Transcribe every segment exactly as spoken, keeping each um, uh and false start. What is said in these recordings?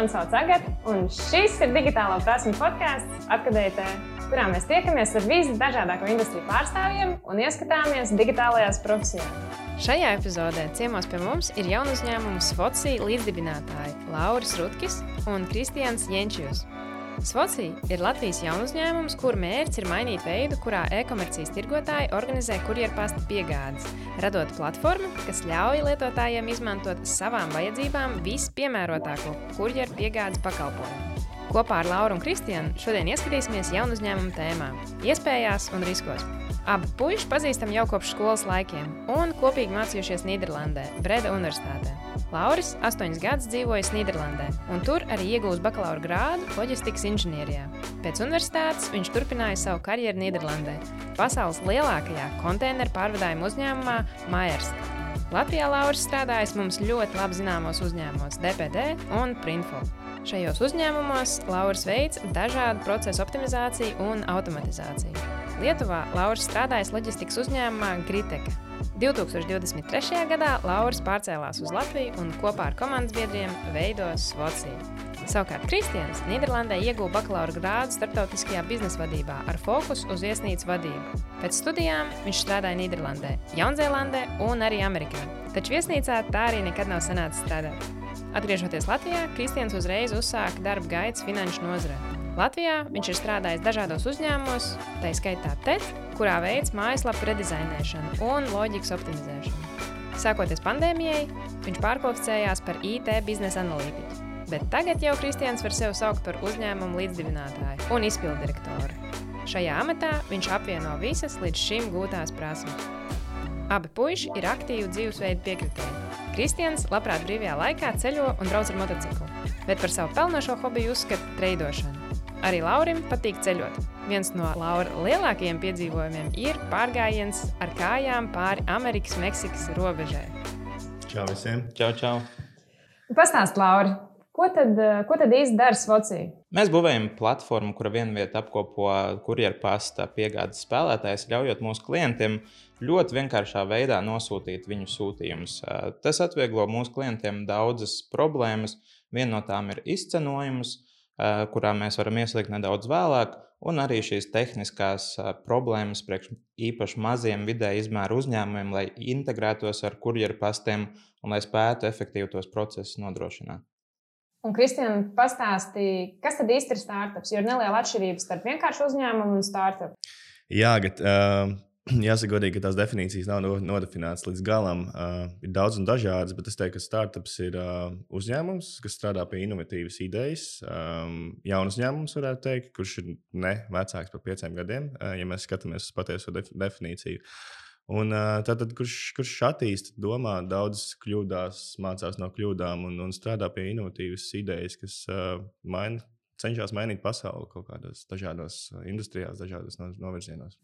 Mani sauc Agata, un šis ir digitālo prasmu podcasts Atkadējtē, kurā mēs tiekamies ar visdažādāko industriju pārstāvjiem un ieskatāmies digitālajās profesijās. Šajā epizodē ciemos pie mums ir jaunu uzņēmumu Svoci līdzdibinātāji Lauris Rutkis un Kristians Jenčijus. Svoci ir Latvijas jaunu uzņēmums, kur mērķis ir mainīt veidu, kurā e-komercijas tirgotāji organizē kurjerpasta piegādes, radot platformu, kas ļauj lietotājiem izmantot savām vajadzībām vispiemērotāko kurjeru piegādes pakalpojumu. Kopā ar Lauru un Kristianu šodien ieskatīsimies jaunu uzņēmumu tēmā, iespējās un riskos. Abi puiši pazīstam jau kopš skolas laikiem un kopīgi mācījušies Nīderlandē, Breda universitātē. Lauris astoņus gadus dzīvojis Nīderlandē un tur arī iegūst bakalaura grādu loģistikas inženierijā. Pēc universitātes viņš turpināja savu karjeru Nīderlandē, pasaules lielākajā konteineru pārvadājuma uzņēmumā Maersk. Latvijā Lauris strādājis mums ļoti labi zināmos uzņēmumos D P D un Printful. Šajos uzņēmumos Lauris veic dažādu procesu optimizāciju un automatizāciju. Lietuvā Lauris strādājis loģistikas uzņēmumā Griteka. divi tūkstoši divdesmit trešajā gadā Lauris pārcēlās uz Latviju un kopā ar komandas biedriem veido Svoci. Savukārt Kristians Nīderlandē ieguva bakalaura grādu starptautiskajā biznesa vadībā ar fokusu uz viesnīcu vadību. Pēc studijām viņš strādāja Nīderlandē, Jaunzēlandē un arī Amerikā, taču viesnīcā tā arī nekad nav sanācis strādāt. Atgriežoties Latvijā, Kristians uzreiz uzsāka darba gaitas finanšu nozarē. Latvijā viņš ir strādājis dažādos uzņēmumos, tā skaitā T E T, kurā veids mājaslapu redizainēšanu un loģikas optimizēšanu. Sākoties pandēmijai, viņš pārkvalificējās par I T biznesa analītiķu, bet tagad jau Kristians var sevi saukt par uzņēmumu līdzdibinātāju un izpilddirektoru. Šajā amatā viņš apvieno visas līdz šim gūtās prasmes. Abi puiši ir aktīvi dzīvesveidu piekritēji. Kristians labprāt brīvajā laikā ceļo un brauc ar motociklu, bet par savu pelnošo hobiju uzskata treidošanu. Arī Laurim patīk ceļot. Viens no Laura lielākajiem piedzīvojumiem ir pārgājiens ar kājām pāri Amerikas-Meksikas robežai. Čau visiem! Čau, čau! Pastāst, Lauri, ko tad, ko tad īsti dara Svoci? Mēs būvējam platformu, kura vienvieta apkopo kurjerpasta piegādes spēlētājus, ļaujot mūsu klientiem ļoti vienkāršā veidā nosūtīt viņu sūtījumus. Tas atvieglo mūsu klientiem daudzas problēmas. Viena no tām ir izcenojums, kurā mēs varam ieslīgt nedaudz vēlāk, un arī šīs tehniskās problēmas priekš īpaši maziem vidēja izmēra uzņēmumiem, lai integrētos ar kurjerpastiem un lai spētu efektīvi tos procesus nodrošināt. Un, Kristian, pastāstīja, kas tad īsti ir startups, jo ir neliela atšķirība starp vienkāršu uzņēmumu un startup. Jā, bet, uh, jāsaka godīgi, ka tās definīcijas nav nodefinētas līdz galam. Uh, ir daudz un dažādas, bet es teiktu, ka startups ir uh, uzņēmums, kas strādā pie inovatīvas idejas. Um, jauns uzņēmums, varētu teikt, kurš ir ne vecāks par pieciem gadiem, uh, ja mēs skatāmies uz patieso def- definīciju. Un tātad, kurš, kurš attīsta, domā, daudz kļūdās, mācās no kļūdām un, un strādā pie inovatīvas idejas, kas uh, maina, cenšas mainīt pasauli kaut kādos dažādos industrijās, dažādos novirzienos.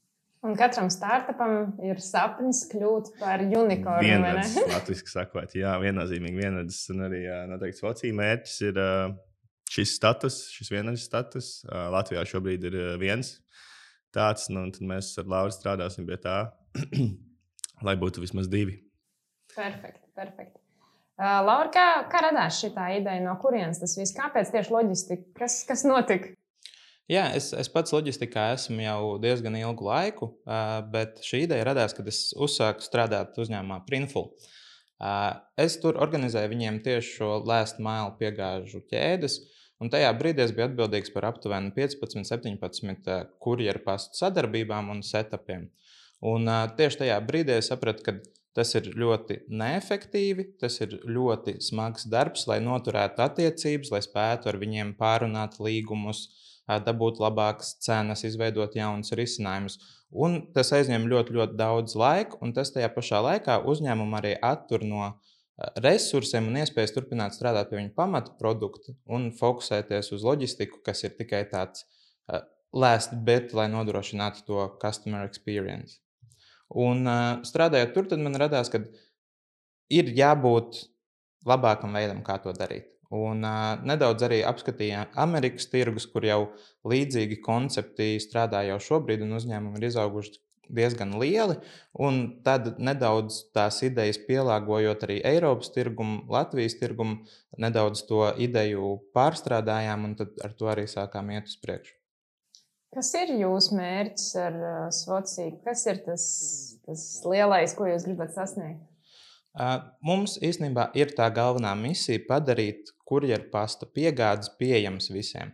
Un katram startupam ir sapnis kļūt par unikornu, vienāds, vai ne? Latviski sakot, jā, viennozīmīgi vienāds. Un arī noteikti Svoci mērķis ir uh, šis status, šis vienāds status. Uh, Latvijā šobrīd ir uh, viens tāds, nu, un tad mēs ar Lauru strādāsim pie tā, lai būtu vismaz divi. Perfekti, perfekti. Uh, Laura, kā, kā radās šitā ideja, no kurienes tas viss? Kāpēc tieši loģistika? Kas, kas notika? Jā, es, es pats loģistikā esmu jau diezgan ilgu laiku, uh, bet šī ideja radās, kad es uzsāku strādāt uzņēmumā Printful. Uh, es tur organizēju viņiem tieši šo last mile piegāžu ķēdes, un tajā brīdī es biju atbildīgs par aptuveni piecpadsmit, septiņpadsmit kurjerpastu sadarbībām un setupiem. Un uh, tieši tajā brīdī es sapratu, ka tas ir ļoti neefektīvi, tas ir ļoti smags darbs, lai noturētu attiecības, lai spētu ar viņiem pārunāt līgumus, uh, dabūt labākas cenas, izveidot jaunus risinājumus. Un tas aizņem ļoti, ļoti daudz laika, un tas tajā pašā laikā uzņēmumu arī attur no uh, resursiem un iespējas turpināt strādāt pie viņu pamata produkta un fokusēties uz loģistiku, kas ir tikai tāds uh, last bit, lai nodrošinātu to customer experience. Un uh, strādājot tur, tad man radās, ka ir jābūt labākam veidam, kā to darīt. Un uh, nedaudz arī apskatīja Amerikas tirgus, kur jau līdzīgi koncepti strādā jau šobrīd, un uzņēmumi ir izauguši diezgan lieli, un tad nedaudz tās idejas pielāgojot arī Eiropas tirgumu, Latvijas tirgumu, nedaudz to ideju pārstrādājām, un tad ar to arī sākām iet uz priekšu. Kas ir jūsu mērķis ar uh, Svoci? Kas ir tas, tas lielais, ko jūs gribat sasniegt? Uh, mums īstenībā ir tā galvenā misija padarīt kurjerpasta piegādes pieejamas visiem.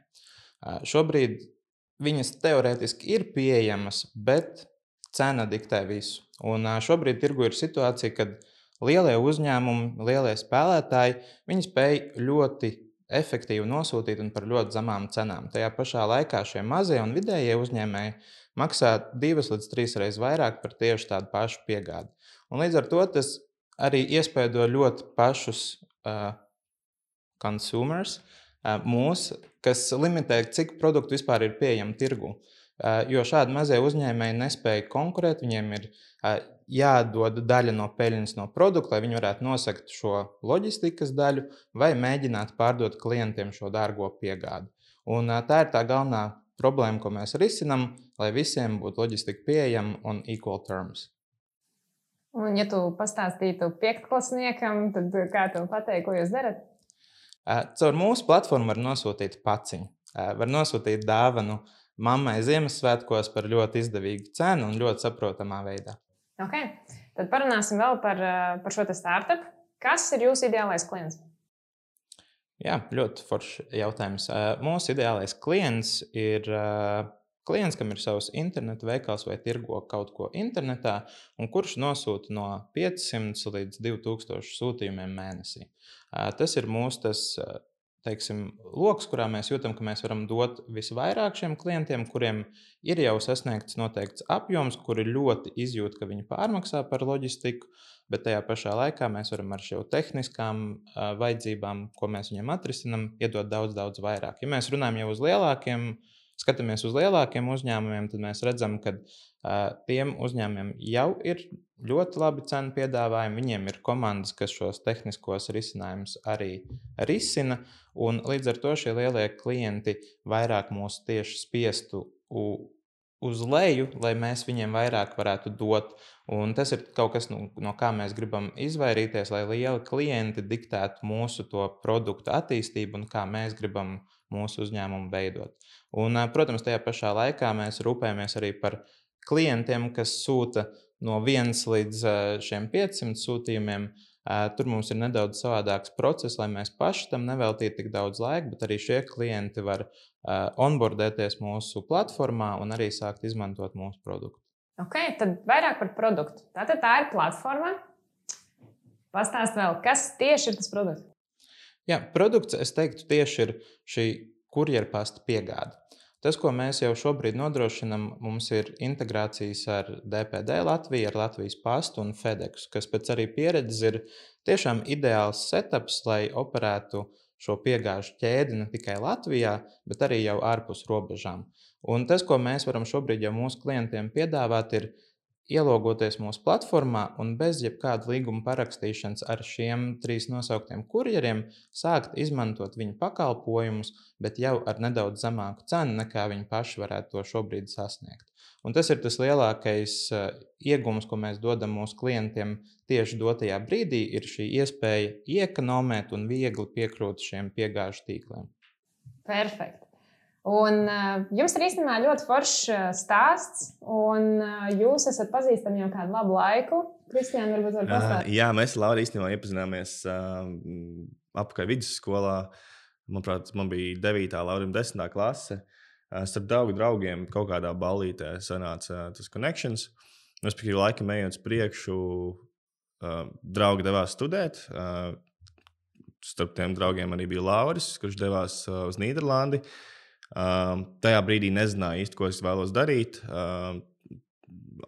Uh, šobrīd viņas teorētiski ir pieejamas, bet cena diktē visu. Un uh, šobrīd tirgu ir situācija, kad lielie uzņēmumi, lielie spēlētāji, viņi spēj ļoti efektīvi nosūtīt un par ļoti zemām cenām. Tajā pašā laikā šie mazie un vidējie uzņēmēji maksā divas līdz trīs reizes vairāk par tieši tādu pašu piegādi. Un līdz ar to tas arī iespēdo ļoti pašus uh, consumers, uh, mūs, kas limitē, cik produktu vispār ir pieejami tirgu. Uh, jo šādi mazie uzņēmēji nespēja konkurēt, viņiem ir uh, jādod daļa no peļņas no produkta, lai viņi varētu nosakt šo loģistikas daļu vai mēģināt pārdot klientiem šo dārgo piegādi. Un uh, tā ir tā galvenā problēma, ko mēs risinam, lai visiem būtu loģistika pieejama un equal terms. Un, ja tu pastāstītu piektoklasniekam, tad kā tu pateiksi, ko jūs darat? Caur mūsu platformu var nosūtīt paciņu. Var nosūtīt dāvanu mammai Ziemassvētkos par ļoti izdevīgu cenu un ļoti saprotamā veidā. Okay. Tad parunāsim vēl par, par šo te startup. Kas ir jūsu ideālais klients? Jā, ļoti foršs jautājums. Mūsu ideālais klients ir klients, kam ir savs interneta veikals vai tirgo kaut ko internetā, un kurš nosūta no piecsimt līdz divi tūkstoši sūtījumiem mēnesī. Tas ir mūsu tas, teiksim, loks, kurā mēs jūtam, ka mēs varam dot visvairāk šiem klientiem, kuriem ir jau sasniegts noteikts apjoms, kuri ļoti izjūt, ka viņi pārmaksā par loģistiku, bet tajā pašā laikā mēs varam ar šo tehniskām uh, vajadzībām, ko mēs viņiem atrisinam, iedot daudz, daudz vairāk. Ja mēs runājam jau uz lielākiem, skatāmies uz lielākiem uzņēmumiem, tad mēs redzam, ka uh, tiem uzņēmumiem jau ir ļoti labi cenu piedāvājumi, viņiem ir komandas, kas šos tehniskos risinājumus arī risina, un līdz ar to šie lielie klienti vairāk mūs tieši spiestu uz leju, lai mēs viņiem vairāk varētu dot. Un tas ir kaut kas, no, no kā mēs gribam izvairīties, lai lieli klienti diktētu mūsu to produktu attīstību un kā mēs gribam mūsu uzņēmumu veidot. Un, protams, tajā pašā laikā mēs rūpējamies arī par klientiem, kas sūta no viens līdz šiem piecsimt sūtījumiem. Tur mums ir nedaudz savādāks process, lai mēs paši tam neveltītu tik daudz laika, bet arī šie klienti var onboardēties mūsu platformā un arī sākt izmantot mūsu produktu. Ok, tad vairāk par produktu. Tātad tā ir platforma. Pastāst vēl, kas tieši ir tas produkts? Jā, produkts, es teiktu, tieši ir šī kurjerpasta piegāde. Tas, ko mēs jau šobrīd nodrošinam, mums ir integrācijas ar D P D Latviju, ar Latvijas pastu un FedEx, kas pēc arī pieredzes ir tiešām ideāls setups, lai operētu šo piegāžu ķēdi ne tikai Latvijā, bet arī jau ārpus robežām. Un tas, ko mēs varam šobrīd jau mūsu klientiem piedāvāt, ir ielogoties mūsu platformā un bez jebkāda līguma parakstīšanas ar šiem trīs nosauktiem kurjeriem sākt izmantot viņu pakalpojumus, bet jau ar nedaudz zemāku cenu, nekā viņi paši varētu to šobrīd sasniegt. Un tas ir tas lielākais uh, iegums, ko mēs dodam mūsu klientiem tieši dotajā brīdī, ir šī iespēja iekonomēt un viegli piekrūt šiem piegāžu tīkliem. Perfekt. Un uh, jums ir īstenībā ļoti foršs stāsts, un uh, jūs esat pazīstami jau kādu labu laiku. Kristiāna, varbūt var pastāstīt? Uh, jā, mēs ar Lauru īstenībā iepazināmies uh, apakaļ vidusskolā. Manuprāt, man bija devītā, Laurim desmitā klase. Uh, starp draugu draugiem kaut kādā ballītē sanāca uh, tas connections. Respektīvi, laikam ejot uz priekšu, uh, draugi devās studēt. Uh, starp tiem draugiem arī bija Lauris, kurš devās uh, uz Nīderlandi. Um, tajā brīdī nezināju īsti, ko es vēlos darīt um,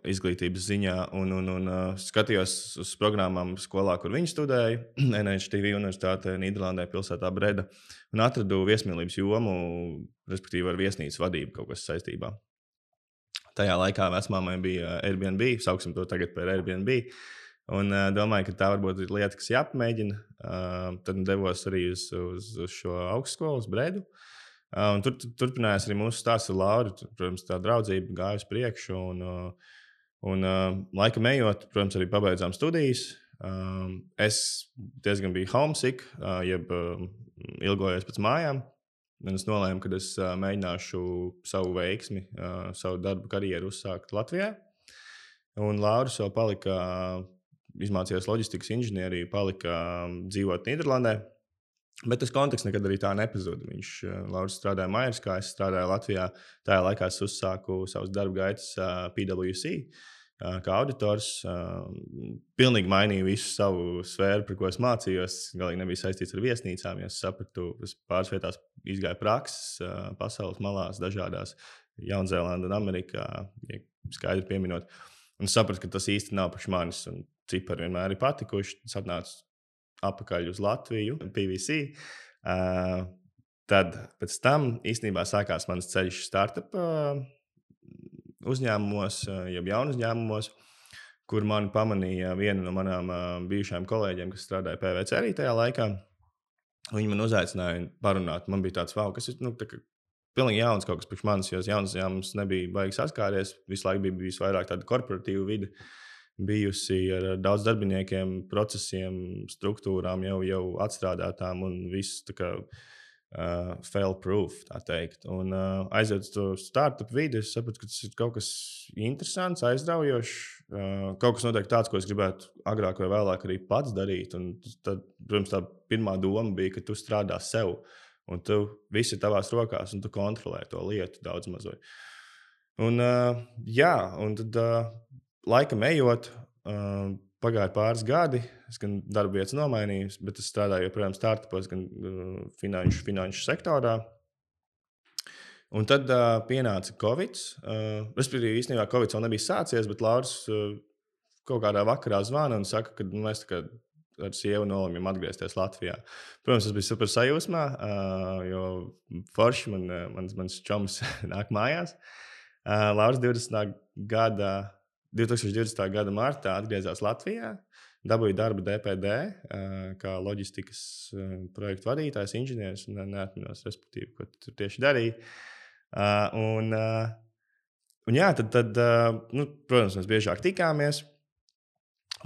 izglītības ziņā, un, un, un uh, skatījos uz programmām skolā, kur viņi studēja, N H T V universitātē Nīderlandē, pilsētā Breda, un atradu viesmīlības jomu, respektīvi ar viesnīcas vadību kaut kas saistībā. Tajā laikā vecmāmai bija Airbnb, sauksim to tagad par Airbnb, un uh, domāju, ka tā varbūt ir lieta, kas jāpamēģina. Uh, tad devos arī uz, uz, uz šo augstskolu, uz Bredu. Uh, un tur turpinājās arī mūsu stāsts ar Lauru. Tur, protams, tā draudzība gāja uz priekšu. Un, uh, Un uh, laikam ejot, protams, arī pabeidzām studijas. Um, es diezgan biju homesick, uh, jeb uh, ilgojos pēc mājām. Un es nolēmu, ka es uh, mēģināšu savu veiksmi, uh, savu darbu karjeru uzsākt Latvijā. Un Lauris vēl palika, izmācījās loģistikas inženieriju, palika dzīvot Nīderlandē. Bet tas konteksts nekad arī tā nepazuda. Viņš, Lauris, strādāja Majerskā, es strādāju Latvijā. Tajā laikā es uzsāku savus darba gaitas P W C kā auditors. Pilnīgi mainīju visu savu sfēru, par ko es mācījos. Galīgi nebija saistīts ar viesnīcām. Ja es sapratu, es pāris vietās izgāju prakses pasaules malās, dažādās Jaunzēlandē un Amerikā, ja skaidri pieminot. Un sapratu, ka tas īsti nav priekš manis. Un cipari vienmēr ir patikuši. Es atnācu apakaļ uz Latviju, P V C. Uh, tad pēc tam īstenībā sākās mans ceļš startup uh, uzņēmumos, uh, jeb jaunu uzņēmumos, kur mani pamanīja viena no manām uh, bijušajām kolēģiem, kas strādāja P V C arī tajā laikā. Viņi man uzaicināja parunāt. Man bija tāds, wow, kas ir, nu, tā kā pilnīgi jauns kaut kas priekš manis, jo jauns uzņēmums nebija baigi saskāries. Visu laiku bija bijis vairāk tāda korporatīva vide. Bijusi ar daudz darbiniekiem, procesiem, struktūrām jau, jau atstrādātām un viss tā kā uh, fail-proof, tā teikt. Un uh, aiziet uz to startup vidi, es sapratu, ka tas ir kaut kas interesants, aizraujošs, uh, kaut kas noteikti tāds, ko es gribētu agrāk vai vēlāk arī pats darīt. Un tad, protams, tā pirmā doma bija, ka tu strādā sev un tu viss ir tavās rokās un tu kontrolē to lietu daudz mazoj. Un uh, jā, un tad uh, laikam ejot, uh, pagāja pāris gadi, es gan darba vietas nomainīju, bet es strādāju joprojām startupos, gan uh, finanšu, finanšu sektorā. Un tad uh, pienāca Covid. Uh, respektīvi, īstenībā Covid vēl nebija sācies, bet Lauris uh, kaut kādā vakarā zvana un saka, ka mēs tā kā ar sievu nolēmjam atgriezties Latvijā. Protams, tas bija super sajūsmā, uh, jo forši man, mans, mans čoms nāk mājās. Uh, Lauris divdesmitā gada gada martā atgriezās Latvijā, dabūja darbu D P D kā loģistikas projektu vadītājs, inženieris, un neatminos, respektīvi, ko tur tieši darīja. Un, un jā, tad, tad nu, protams, mēs biežāk tikāmies,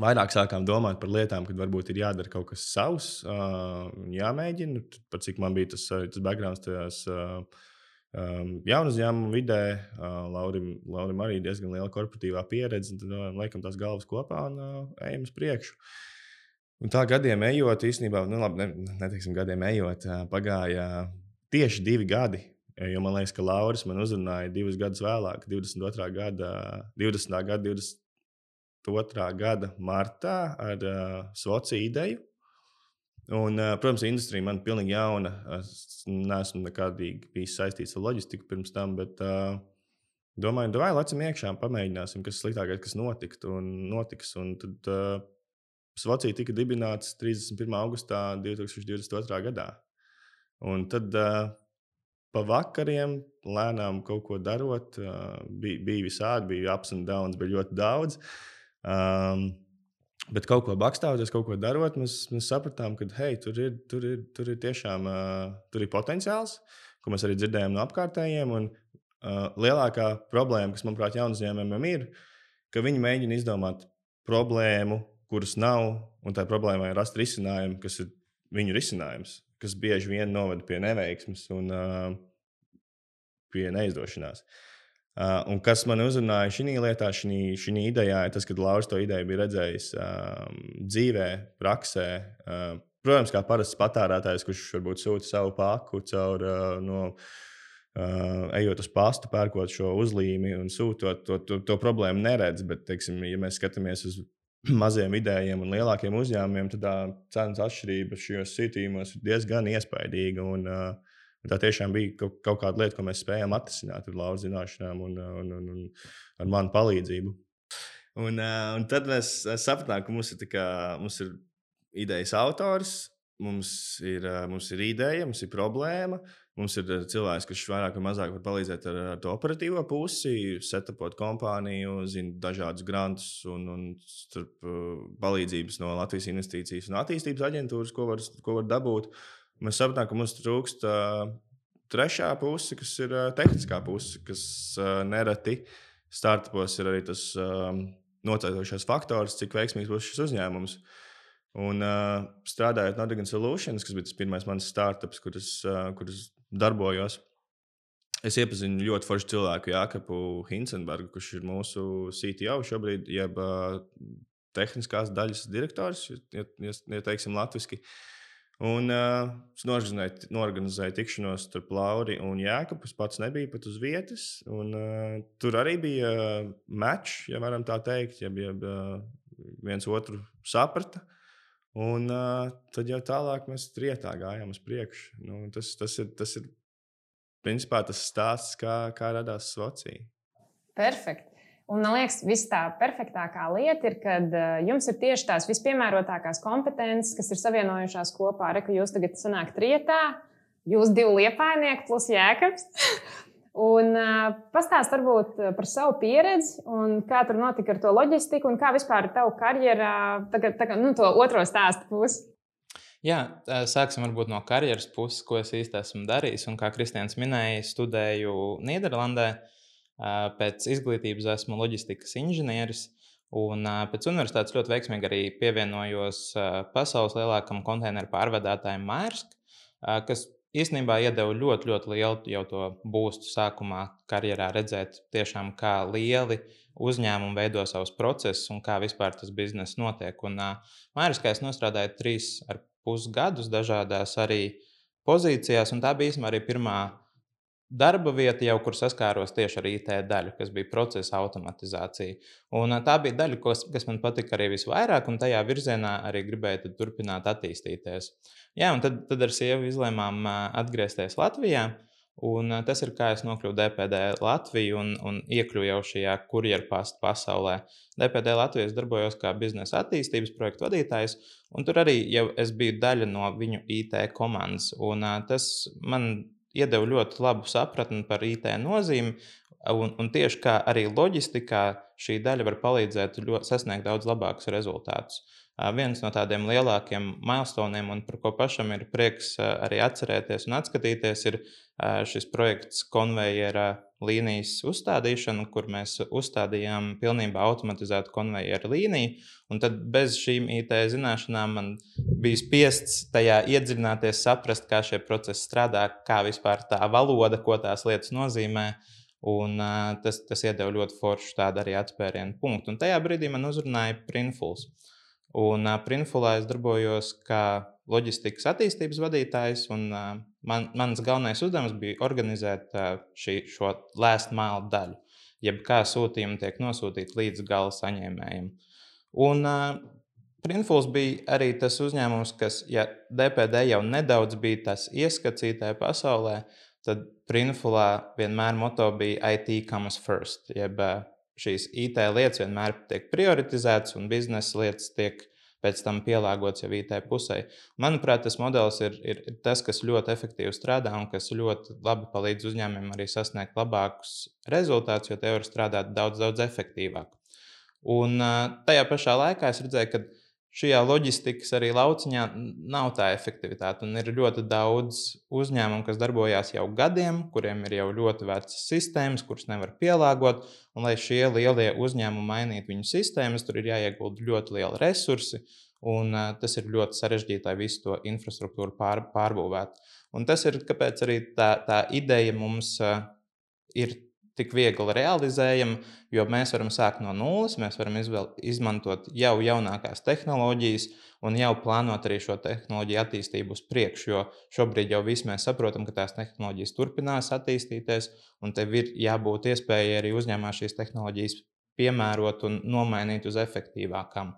vairāk sākām domāt par lietām, kad varbūt ir jādara kaut kas savs, jāmēģina, par cik man bija tas, tas backgrounds tajās Um, jaunu uzņēmumu vidē, uh, Laurim, Laurim arī diezgan liela korporatīvā pieredze, tad uh, laikam tās galvas kopā un uh, ejam uz priekšu. Un tā gadiem ejot, īstenībā, nu labi, ne, neteiksim gadiem ejot, uh, pagāja tieši divi gadi, jo man liekas, ka Lauris man uzrunāja divus gadus vēlāk, divdesmit otrā gada, divdesmitā gada, divdesmit otrā gada martā ar uh, Svoci ideju. Un, protams, industrija man ir pilnīgi jauna. Es neesmu nekādīgi bijis saistīts ar loģistiku pirms tam, bet uh, domāju, davai lecam iekšā un pamēģināsim, kas sliktākais, kas notiktu un notiks. Un tad uh, Svoci tika dibināts trīsdesmit pirmā augustā divtūkstoš divdesmit otrā gadā. Un tad uh, pa vakariem lēnām kaut ko darot, uh, bija, bija visādi, bija ups and downs, bija ļoti daudz. Um, Bet kaut ko bakstāvoties, kaut ko darot, mēs, mēs sapratām, ka hei, tur ir, tur ir, tur ir tiešām uh, tur ir potenciāls, ko mēs arī dzirdējām no apkārtējiem. Un, uh, lielākā problēma, kas, manuprāt, jaunu uzņēmumiem ir, ka viņi mēģina izdomāt problēmu, kuras nav, un tā problēmai rast risinājumu, kas ir viņu risinājums, kas bieži vien novada pie neveiksmes un uh, pie neizdošanās. Uh, un kas man uzrunāja šī lietā, šī idejā, ir tas, ka Lauris to ideju bija redzējis um, dzīvē, praksē. Uh, protams, kā parasts patērētājs, kurš varbūt sūta savu paku caur, uh, no, uh, ejot uz pastu, pērkot šo uzlīmi un sūtot, to, to, to problēmu neredz. Bet, teiksim, ja mēs skatāmies uz maziem vidējiem un lielākiem uzņēmumiem, tad tā cenas atšķirība šajos sītījumos ir diezgan iespaidīga. Un, uh, Tā tiešām bija kaut, kaut kāda lieta, ko mēs spējām atrisināt ar Lauras zināšanām un, un, un, un ar manu palīdzību. Un, un tad mēs sapratām, ka mums ir, kā, mums ir idejas autors, mums ir, mums ir ideja, mums ir problēma, mums ir cilvēks, kurš vairāk vai mazāk var palīdzēt ar, ar to operatīvo pusi, setupot kompāniju, zina dažādus grantus un, un starp palīdzības no Latvijas investīcijas un attīstības aģentūras, ko var, ko var dabūt. Mēs sapratām, ka mums trūkst uh, trešā puse, kas ir uh, tehniskā puse, kas uh, nereti startupos ir arī tas um, noteiktošais faktors, cik veiksmīgs būs šis uzņēmums. Un uh, strādājot Nordigan Solutions, kas bija tas pirmais mans startups, kur es, uh, kur es darbojos, es iepazinu ļoti foršu cilvēku, Jākapu Hinsenbergu, kurš ir mūsu C T O šobrīd, jeb uh, tehniskās daļas direktors, ja, ja, ja teiksim latviski. Un uh, es norganizēju, norganizēju tikšanos starp Lauri un Jākapu. Es pats nebiju pat uz vietas. Un, uh, tur arī bija uh, match, ja varam tā teikt, ja, ja uh, viens otru saprata. Un uh, tad jau tālāk mēs trietā gājām uz priekšu. Nu, tas, tas, ir, tas ir principā tas stāsts, kā, kā radās Svocija. Perfekt. Un, man liekas, viss tā perfektākā lieta ir, kad uh, jums ir tieši tās vispiemērotākās kompetences, kas ir savienojušās kopā. Re, ka jūs tagad sanāk trietā, jūs divi liepainieki plus Jākaps. un uh, pastāst varbūt par savu pieredzi un kā tur notika ar to loģistiku un kā vispār tavu karjerā, tagad, tagad, nu, to otro stāstu pusi. Jā, sāksim varbūt no karjeras puses, ko es īsti esmu darījis. Un kā Kristians minēja, studēju Nīderlandē. Pēc izglītības esmu loģistikas inženieris, un pēc universitātes ļoti veiksmīgi arī pievienojos pasaules lielākam konteineru pārvadātājam Maersk, kas īstenībā iedeva ļoti, ļoti lielu jau to būstu sākumā karjerā redzēt tiešām, kā lieli uzņēmumi veido savus procesus un kā vispār tas bizness notiek. Un Maerskā es nostrādāju trīs ar pus gadus dažādās arī pozīcijās, un tā bija īstenībā arī pirmā darba vieta, jau kur saskāros tieši ar I T daļu, kas bija procesa automatizācija. Un tā bija daļa, kas, kas man patika arī visvairāk, un tajā virzienā arī gribēju turpināt attīstīties. Jā, un tad, tad ar sievu izlēmām atgriezties Latvijā, un tas ir kā es nokļuvu D P D Latviju un, un iekļuvu jau šajā kurjerpastu pasaulē. D P D Latvijas darbojos kā biznesa attīstības projektu vadītājs, un tur arī jau es biju daļa no viņu I T komandas, un tas man iedeva ļoti labu sapratni par I T nozīmi, un, un tieši kā arī loģistikā šī daļa var palīdzēt ļoti, sasniegt daudz labākus rezultātus. Uh, viens no tādiem lielākiem milestoniem, un par ko pašam ir prieks uh, arī atcerēties un atskatīties, ir uh, šis projekts konvejera līnijas uzstādīšana, kur mēs uzstādījām pilnībā automatizētu konvejera līniju, un tad bez šīm I T zināšanām man bija spiests tajā iedziļināties, saprast, kā šie procesi strādā, kā vispār tā valoda, ko tās lietas nozīmē, un uh, tas, tas iedeva ļoti foršu tādu arī atspērienu punktu. Un tajā brīdī man uzrunāja Printfuls. Un uh, Printfulā es darbojos kā loģistikas attīstības vadītājs, un uh, man, mans galvenais uzdevums bija organizēt uh, šī, šo last mile daļu, jeb kā sūtījumi tiek nosūtīti līdz gala saņēmējiem. Un uh, Printfuls bija arī tas uzņēmums, kas, ja D P D jau nedaudz bija tas ieskats I T pasaulē, tad Printfulā vienmēr moto bija I T comes first, jeb uh, šīs I T lietas vienmēr tiek prioritizētas un biznesa lietas tiek pēc tam pielāgotas jau I T pusē. Manuprāt, tas modelis ir, ir tas, kas ļoti efektīvi strādā un kas ļoti labi palīdz uzņēmumiem arī sasniegt labākus rezultātus, jo te var strādāt daudz, daudz efektīvāk. Un tajā pašā laikā es redzēju, ka šajā loģistikas arī lauciņā nav tā efektivitāte. Un ir ļoti daudz uzņēmumu, kas darbojās jau gadiem, kuriem ir jau ļoti vecas sistēmas, kuras nevar pielāgot. Un, lai šie lielie uzņēmumi mainītu viņu sistēmas, tur ir jāiegulda ļoti liela resursi. Un uh, tas ir ļoti sarežģīti, lai visu to infrastruktūru pār, pārbūvētu. Un tas ir, kāpēc arī tā, tā ideja mums uh, ir tik viegli realizējama, jo mēs varam sākt no nulles, mēs varam izvēl, izmantot jau jaunākās tehnoloģijas un jau plānot arī šo tehnoloģiju attīstību uz priekšu, jo šobrīd jau visi mēs saprotam, ka tās tehnoloģijas turpinās attīstīties, un tev ir jābūt iespējai arī uzņēmumā šīs tehnoloģijas piemērot un nomainīt uz efektīvākām.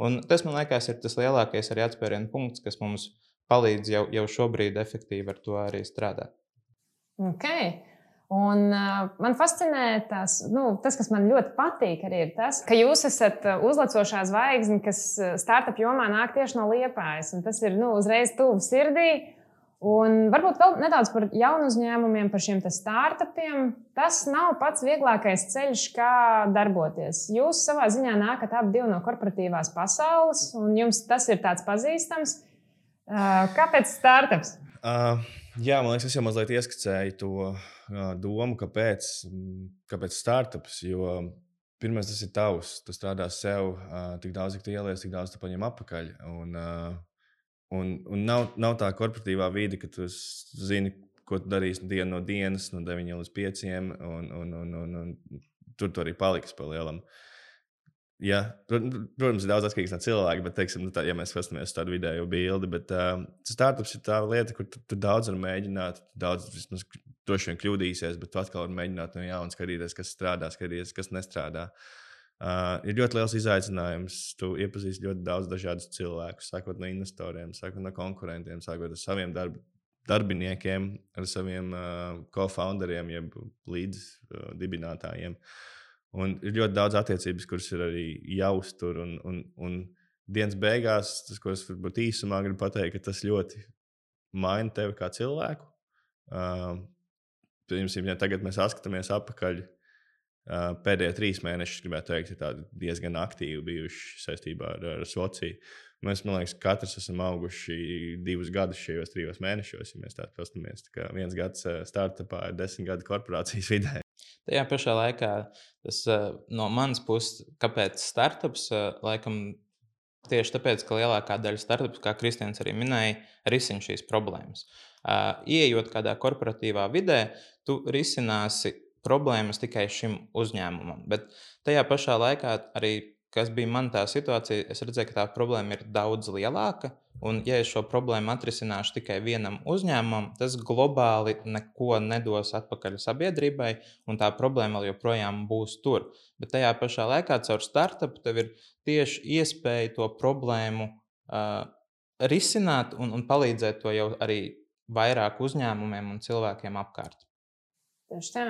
Un tas, man liekas, ir tas lielākais arī atspērienu punkts, kas mums palīdz jau, jau šobrīd efektīvi ar to arī strādāt. Okay. Un, uh, man fascinē tās, nu, tas, kas man ļoti patīk, arī ir tas, ka jūs esat uzlecošā zvaigzne, kas startup jomā nāk tieši no Liepājas. Un tas ir nu, uzreiz tuvu sirdī. Un varbūt vēl nedaudz par jaunu uzņēmumiem, par šiem startupiem. Tas nav pats vieglākais ceļš, kā darboties. Jūs savā ziņā nākat abi divi no korporatīvās pasaules, un jums tas ir tāds pazīstams. Uh, kāpēc startups? Uh. Jā, man liekas, es jau mazliet ieskicēju to uh, domu, kāpēc, kāpēc startups, jo pirmais tas ir tavs. Tu strādā sev, uh, tik daudz, cik tu ieliec, tik daudz tu paņem atpakaļ. Un, uh, un, un nav, nav tā korporatīvā vide, ka tu zini, ko tu darīsi dienu no dienas, no deviņiem līdz pieciem, un, un, un, un, un tur tu arī paliksi pa lielam. Jā, protams, ir daudz atkarīgs no cilvēka, bet, teiksim, tā, ja mēs skatāmies tādu vidējo bildi, bet uh, startups ir tā lieta, kur tu, tu daudz var mēģināt, daudz vismaz droši vien kļūdīsies, bet tu atkal var mēģināt no jauna skatīties, kas strādā, skatīties, kas nestrādā. Uh, ir ļoti liels izaicinājums. Tu iepazīsti ļoti daudz dažādus cilvēkus, sākot no investoriem, sākot no konkurentiem, sākot ar saviem darb, darbiniekiem, ar saviem uh, co-founderiem, jeb līdz uh, dibinātājiem. Un ir ļoti daudz attiecības, kuras ir arī jāuztur. Un, un, un dienas beigās, tas, ko es varbūt īsumā gribu pateikt, ka tas ļoti maina tevi kā cilvēku. Uh, Piemēram, ja tagad mēs atskatāmies atpakaļ, uh, pēdējie trīs mēnešus, gribētu teikt, ir tādi diezgan aktīvi bijuši saistībā ar, ar Svociju. Mēs, man liekas, katrs esam auguši divus gadus šajos trijos mēnešos, ja mēs tā paskatāmies. Tā kā viens gads startupā ir desmit gadi korporācijas vidē. Tajā pašā laikā tas no manas puses, kāpēc startups, laikam tieši tāpēc, ka lielākā daļa startups, kā Kristians arī minēja, risina šīs problēmas. Ieejot kādā korporatīvā vidē, tu risināsi problēmas tikai šim uzņēmumam, bet tajā pašā laikā arī, kas bija man tā situācija, es redzēju, ka tā problēma ir daudz lielāka. Un, ja es šo problēmu atrisināšu tikai vienam uzņēmumam, tas globāli neko nedos atpakaļ sabiedrībai, un tā problēma vēl joprojām būs tur. Bet tajā pašā laikā caur startupu tev ir tieši iespēja to problēmu uh, risināt un, un palīdzēt to jau arī vairāk uzņēmumiem un cilvēkiem apkārt. Tieši tā.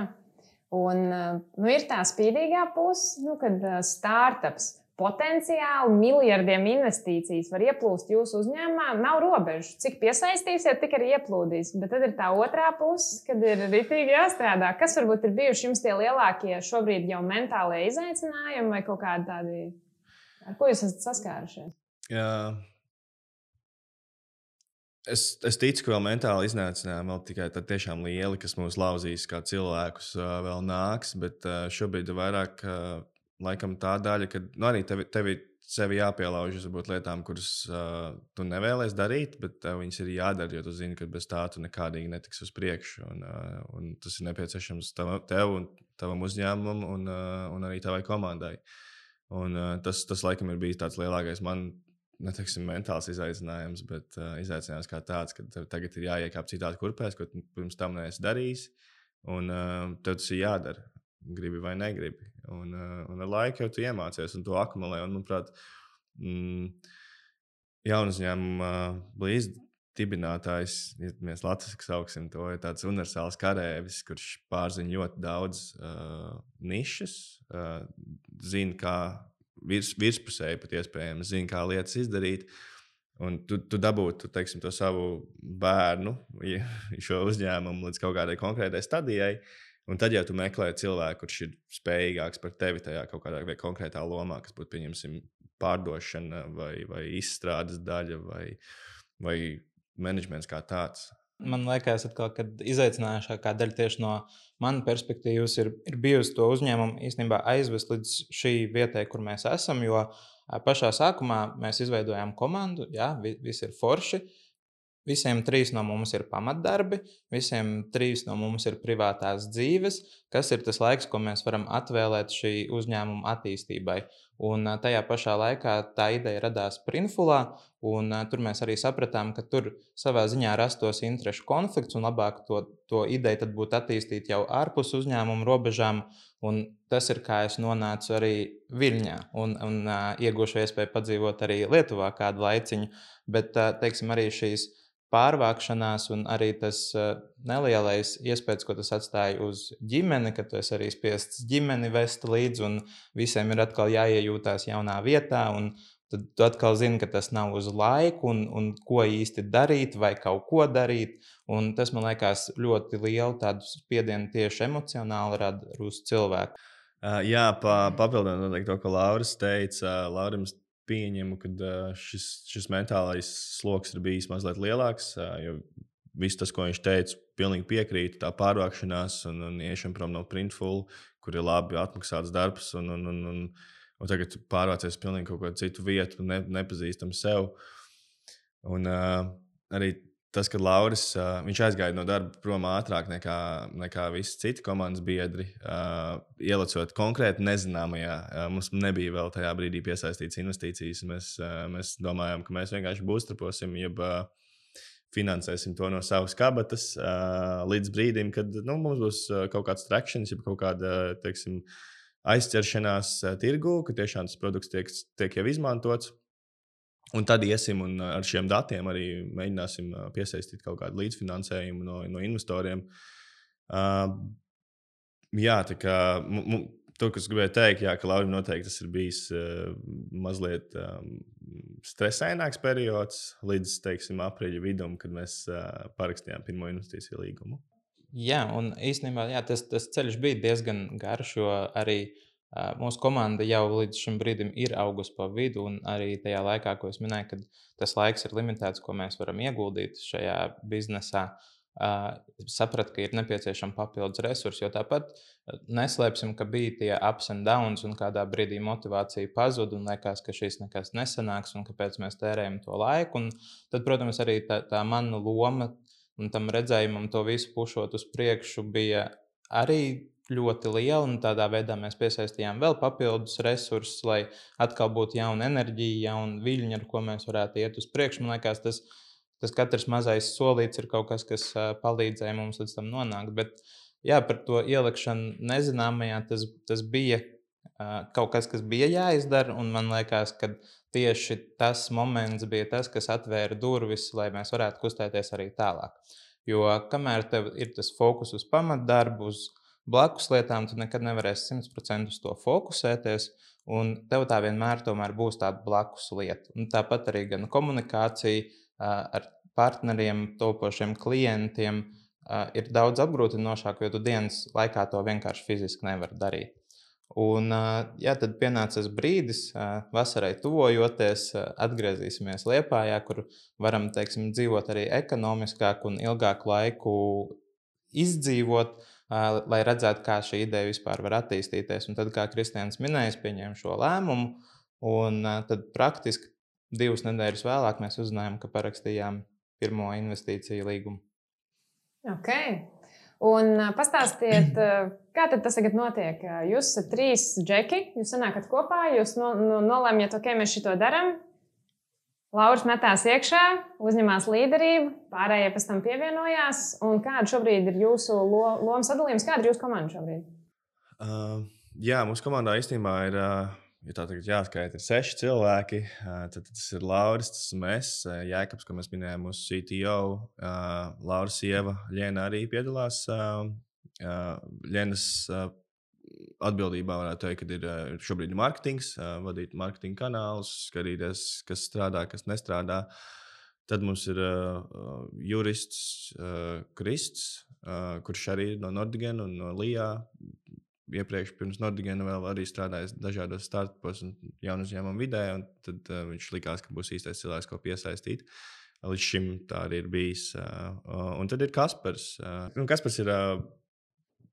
Un nu, ir tā spīdīgā puse, nu, kad startups potenciāli miljardiem investīcijas var ieplūst jūsu uzņēmumā. Nav robežu. Cik piesaistīsiet, tik arī ieplūdīs. Bet tad ir tā otrā puse, kad ir ritīgi jāstrādā. Kas varbūt ir bijuši jums tie lielākie šobrīd jau mentālie izaicinājumi vai kaut kādi tādi, ar ko jūs esat saskārušies? Jā. Es, es ticu, ka vēl mentāli izaicinājumi vēl tikai tad tiešām lieli, kas mūs lauzīs kā cilvēkus, vēl nāks. Bet šobrīd ir vairāk laikam tā daļa, ka nu, arī tevi, tevi sevi jāpielaužas varbūt lietām, kuras uh, tu nevēlies darīt, bet uh, viņas ir jādara, jo tu zini, ka bez tā tu nekādīgi netiks uz priekšu. Un, uh, un tas ir nepieciešams tev, tev un tavam uzņēmumam un, uh, un arī tavai komandai. Un uh, tas, tas laikam ir bijis tāds lielākais man, neteiksim, mentāls izaicinājums, bet uh, izaicinājums kā tāds, ka tev tagad ir jāiekāp citās kurpēs, ko tu pirms tam neesi darījis, un uh, tev tas ir jādara. Gribi vai negribi. Un, uh, un ar laiku jau tu iemācies un to akumulē. Un, manuprāt, mm, jaunu uzņēmumu uh, līdzdibinātājs, ja mēs latviski sauksim to, ir tāds universāls karēvis, kurš pārzina ļoti daudz uh, nišas, uh, zina, kā virs, virspusēji pat iespējams, zina, kā lietas izdarīt. Un tu, tu dabūtu, teiksim, to savu bērnu, šo uzņēmumu līdz kaut kādai konkrētai stadijai. Un tad jau tu meklē cilvēku, kurš ir spējīgāks par tevi tajā kaut kādā vai konkrētā lomā, kas būtu, pieņemsim, pārdošana vai, vai izstrādes daļa vai, vai menedžments kā tāds. Man liekas, atkal, ka izaicinājušākā daļa tieši no manas perspektīvas ir, ir bijusi to uzņēmumu īstenībā aizvest līdz šī vietai, kur mēs esam, jo pašā sākumā mēs izveidojām komandu, jā, visi ir forši. Visiem trīs no mums ir pamatdarbi, visiem trīs no mums ir privātās dzīves, kas ir tas laiks, ko mēs varam atvēlēt šī uzņēmuma attīstībai. Un tajā pašā laikā tā ideja radās Printfulā, un tur mēs arī sapratām, ka tur savā ziņā rastos interešu konflikts, un labāk to, to ideju tad būtu attīstīt jau ārpus uzņēmuma robežām, un tas ir, kā es nonācu arī Viļņā, un, un uh, iegūšu iespēju padzīvot arī Lietuvā kādu laiciņu, bet, uh, teiksim, arī šīs pārvākšanās un arī tas uh, nelielais iespējas, ko tas atstāja uz ģimeni, ka tu esi arī spiests ģimeni vest līdzi un visiem ir atkal jāiejūtās jaunā vietā un tad tu atkal zini, ka tas nav uz laiku un, un ko īsti darīt vai kaut ko darīt un tas man liekas ļoti lielu tādu spiedienu tieši emocionāli rada uz cilvēku. Uh, jā, pa, papildinot to, ko Lauris teica, uh, Laurim pieņemu, ka šis, šis mentālais sloks ir bijis mazliet lielāks, jo viss tas, ko viņš teica, pilnīgi piekrīt, tā pārvākšanās un, un iešana prom no Printful, kur ir labi atmaksāts darbs, un, un, un, un, un tagad pārvācies pilnīgi kaut kādu citu vietu, ne, nepazīstam sev. Un uh, arī tas, ka Lauris, uh, viņš aizgāja no darba prom ātrāk nekā, nekā visi citi komandas biedri, uh, ielicot konkrēti nezināmajā. Uh, mums nebija vēl tajā brīdī piesaistīts investīcijas. Mēs, uh, mēs domājām, ka mēs vienkārši būstraposim, jeb uh, finansēsim to no savas kabatas uh, līdz brīdim, kad nu, mums būs uh, kaut kāds trakšanas, jeb kaut kāda, teiksim, aizķeršanās uh, tirgu, ka tiešām tas produkts tiek, tiek jau izmantots. Un tad iesim un ar šiem datiem arī mēģināsim uh, piesaistīt kaut kādu līdzfinansējumu no, no investoriem. Uh, jā, tā kā m, m, to, kas gribēju teikt, jā, ka Laurim noteikti tas ir bijis uh, mazliet um, stresaināks periods līdz, teiksim, aprīļa vidum, kad mēs uh, parakstījām pirmo investīciju līgumu. Jā, un īstenībā jā, tas, tas ceļš bija diezgan garš, jo arī uh, mūsu komanda jau līdz šim brīdim ir augusi pa vidu, un arī tajā laikā, ko es minēju, kad tas laiks ir limitēts, ko mēs varam ieguldīt šajā biznesā, uh, sapratu, ka ir nepieciešama papildus resursi, jo tāpat neslēpsim, ka bija tie ups and downs, un kādā brīdī motivācija pazuda, un liekas, ka šis nekas nesanāks, un kāpēc mēs tērējam to laiku. Un tad, protams, arī tā, tā mana loma un tam redzējumam to visu pušot uz priekšu bija arī ļoti liela, un tādā veidā mēs piesaistījām vēl papildus resursus, lai atkal būtu jauna enerģija, jauna viļņa, ar ko mēs varētu iet uz priekšu. Man liekas, tas, tas katrs mazais solīts ir kaut kas, kas uh, palīdzēja mums līdz tam nonākt, bet jā, par to ielikšanu nezināmajā, tas, tas bija uh, kaut kas, kas bija jāizdara, un man liekas, ka tieši tas moments bija tas, kas atvēra durvis, lai mēs varētu kustēties arī tālāk. Jo kamēr tev ir tas fokus uz pamatdarbu, uz blakus lietām, tu nekad nevarēsi simt procenti uz to fokusēties, un tev tā vienmēr tomēr būs tāda blakus lieta. Un tāpat arī gan komunikācija uh, ar partneriem, topošiem klientiem uh, ir daudz apgrūtinošāk, jo tu dienas laikā to vienkārši fiziski nevar darīt. Un, uh, jā, tad pienāca tas brīdis, uh, vasarai tuvojoties, uh, atgriezīsimies Liepājā, kur varam, teiksim, dzīvot arī ekonomiskāk un ilgāku laiku izdzīvot, uh, lai redzētu, kā šī ideja vispār var attīstīties. Un tad, kā Kristians minēja, pieņēma šo lēmumu, un uh, tad praktiski divas nedēļas vēlāk mēs uzzinājām, ka parakstījām pirmo investīciju līgumu. Ok. Un pastāstiet, kā tad tas tagad notiek? Jūs esat trīs džeki, jūs sanākat kopā, jūs no, no, nolēmjat, ok, mēs šito daram. Lauris metās iekšā, uzņemās līderību, pārējie pēc tam pievienojās. Un kāda šobrīd ir jūsu lo, loma sadalījums? Kāda ir jūsu komanda šobrīd? Uh, jā, mūsu komandā īstenībā ir, uh, ja tā tagad jāskaita, ir seši cilvēki. Uh, tad tas ir Lauris, tas esmu es, uh, Jēkabs, ko mēs minējām, mūsu C T O. Uh, Lauris sieva Ļena arī piedalās. Uh, uh, Ļenas uh, atbildībā varētu teikt, ka ir uh, šobrīd marketings, uh, vadīt marketinga kanālus, skatīties, kas strādā, kas nestrādā. Tad mums ir uh, jurists uh, Krists, uh, kurš arī ir no Nordigen un no Lijā. Iepriekš pirms Nordigena vēl arī strādājis dažādos startupos un jaunu uzņēmumu vidē, un tad uh, viņš likās, ka būs īstais cilvēks, ko piesaistīt. Līdz šim tā arī ir bijis. Uh, uh, un tad ir Kaspars. Uh, Kaspars ir uh,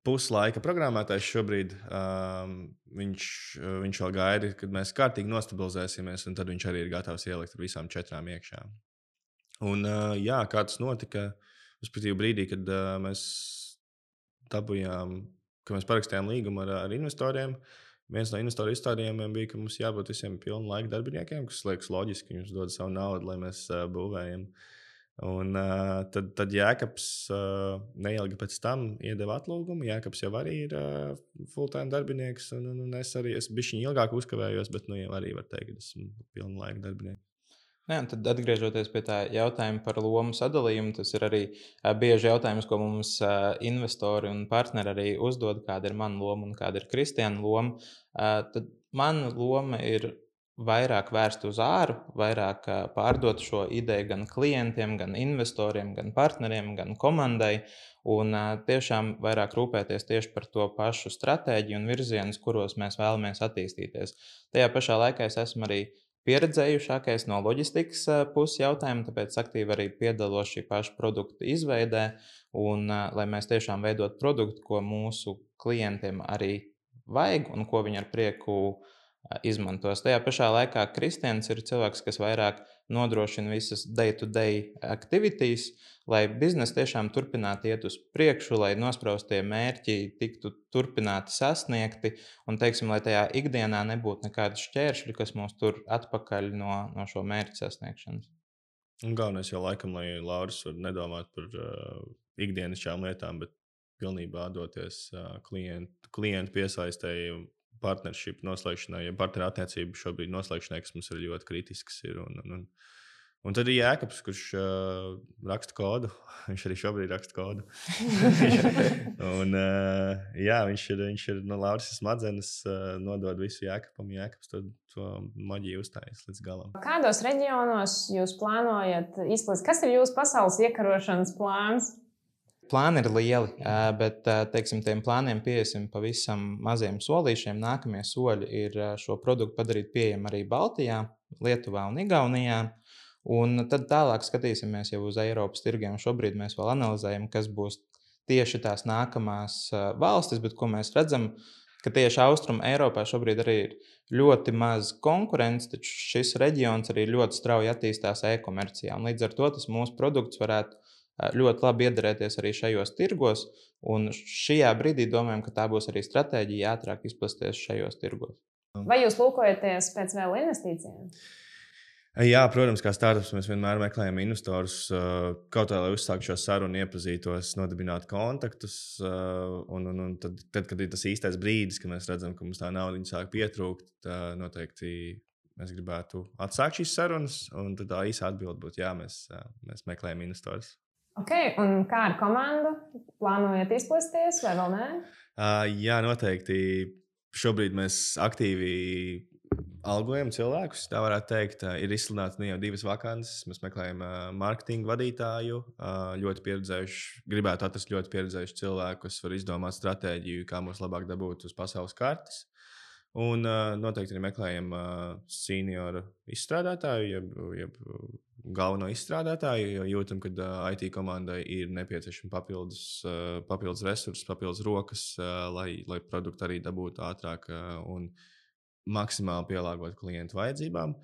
puslaika programmētājs šobrīd. Uh, viņš, uh, viņš vēl gaida, kad mēs kārtīgi nostabilizēsimies, un tad viņš arī ir gatavs ielikt ar visām četrām iekšā. Un uh, jā, kā tas notika, respektīvi brīdī, kad uh, mēs dabujām, ka mēs parakstījām līgumu ar, ar investoriem. Viens no investoru izstādījumiem bija, ka mums jābūt visiem pilnu laiku darbiniekiem, kas liekas loģiski, ka viņš dod savu naudu, lai mēs uh, būvējam. Un uh, tad, tad Jēkabs uh, neilgi pēc tam iedeva atlūgumu. Jēkabs jau arī ir uh, full-time darbinieks, un, un, un es arī es bišķiņ ilgāk uzkavējos, bet nu jau arī var teikt, ka esmu pilnu laiku darbinieks. Jā, tad atgriežoties pie tā jautājuma par lomu sadalījumu, tas ir arī uh, bieži jautājums, ko mums uh, investori un partneri arī uzdod, kāda ir mana loma un kāda ir Kristiāna loma. Uh, tad mana loma ir vairāk vērst uz āru, vairāk uh, pārdot šo ideju gan klientiem, gan investoriem, gan partneriem, gan komandai, un uh, tiešām vairāk rūpēties tieši par to pašu stratēģiju un virzienus, kuros mēs vēlamies attīstīties. Tajā pašā laikā es esmu arī pieredzējušākais no loģistikas puses jautājuma, tāpēc aktīvi arī piedalos šī paša produkta izveidē un lai mēs tiešām veidot produktu, ko mūsu klientiem arī vajag un ko viņi ar prieku izmantos. Tajā pašā laikā Kristians ir cilvēks, kas vairāk nodrošina visas day-to-day activities, lai biznesa tiešām turpinātu iet uz priekšu, lai nospraustie mērķi tiktu turpināti sasniegti un, teiksim, lai tajā ikdienā nebūtu nekādi šķēršļi, kas mūs tur atpakaļ no, no šo mērķu sasniegšanas. Un galvenais jau laikam, lai Lauris var nedomāt par uh, ikdienišķām lietām, bet pilnībā doties uh, klientu, klientu piesaistēji partnership noslēgšanai, ja partneru attiecību šobrīd noslēgšanai, kas mums ir ļoti kritisks. Ir, un, un, un, un tad ir Jēkabs, kurš uh, raksta kodu. Viņš arī šobrīd raksta kodu. un, uh, jā, viņš ir, viņš ir no Lauris smadzenes, uh, nodod visu Jēkabam. Jēkabs to, to maģiju uzstājas līdz galam. Kādos reģionos jūs plānojat izplatīt? Kas ir jūsu pasaules iekarošanas plāns? Plāni ir lieli, bet teiksim, tiem plāniem piesim pavisam maziem solīšiem. Nākamie soļi ir šo produktu padarīt pieejamu arī Baltijā, Lietuvā un Igaunijā. Un tad tālāk skatīsimies jau uz Eiropas tirgiem. Šobrīd mēs vēl analizējam, kas būs tieši tās nākamās valstis, bet ko mēs redzam, ka tieši Austrum Eiropā šobrīd arī ir ļoti maz konkurence, taču šis reģions arī ļoti strauji attīstās e-komercijā. Un līdz ar to tas mūsu produkts varētu ļoti labi iedarēties arī šajos tirgos, un šajā brīdī domājam, ka tā būs arī stratēģija ātrāk izplasties šajos tirgos. Vai jūs lūkojaties pēc vēl investīcijām? Jā, protams, kā startups mēs vienmēr meklējam investorus, kaut kā, lai uzsāktu šo sarunu, iepazītos, nodibinātu kontaktus, un, un, un tad, tad, kad ir tas īstais brīdis, kad mēs redzam, ka mums tā nauda sāk pietrūkt, noteikti mēs gribētu atsākt šīs sarunas, un tad tā īsa atbilde būtu, jā, mēs, mēs meklējam investorus. Ok, un kā ar komandu? Plānojat izplasties vai vēl nē? Uh, jā, noteikti. Šobrīd mēs aktīvi algojam cilvēkus. Tā varētu teikt, uh, ir izsludināts ne jau divas vakances. Mēs meklējam uh, marketinga vadītāju, uh, ļoti pieredzējuši, gribētu atrast ļoti pieredzējuši cilvēku, kas var izdomāt stratēģiju, kā mums labāk dabūt uz pasaules kartes. Un uh, noteikti arī meklējam uh, senioru izstrādātāju, jeb, jeb galveno izstrādātāju, jo jūtam, ka uh, I T komandai ir nepieciešama papildus, uh, papildus resursi, papildus rokas, uh, lai, lai produktu arī dabūtu ātrāk uh, un maksimāli pielāgot klientu vajadzībām.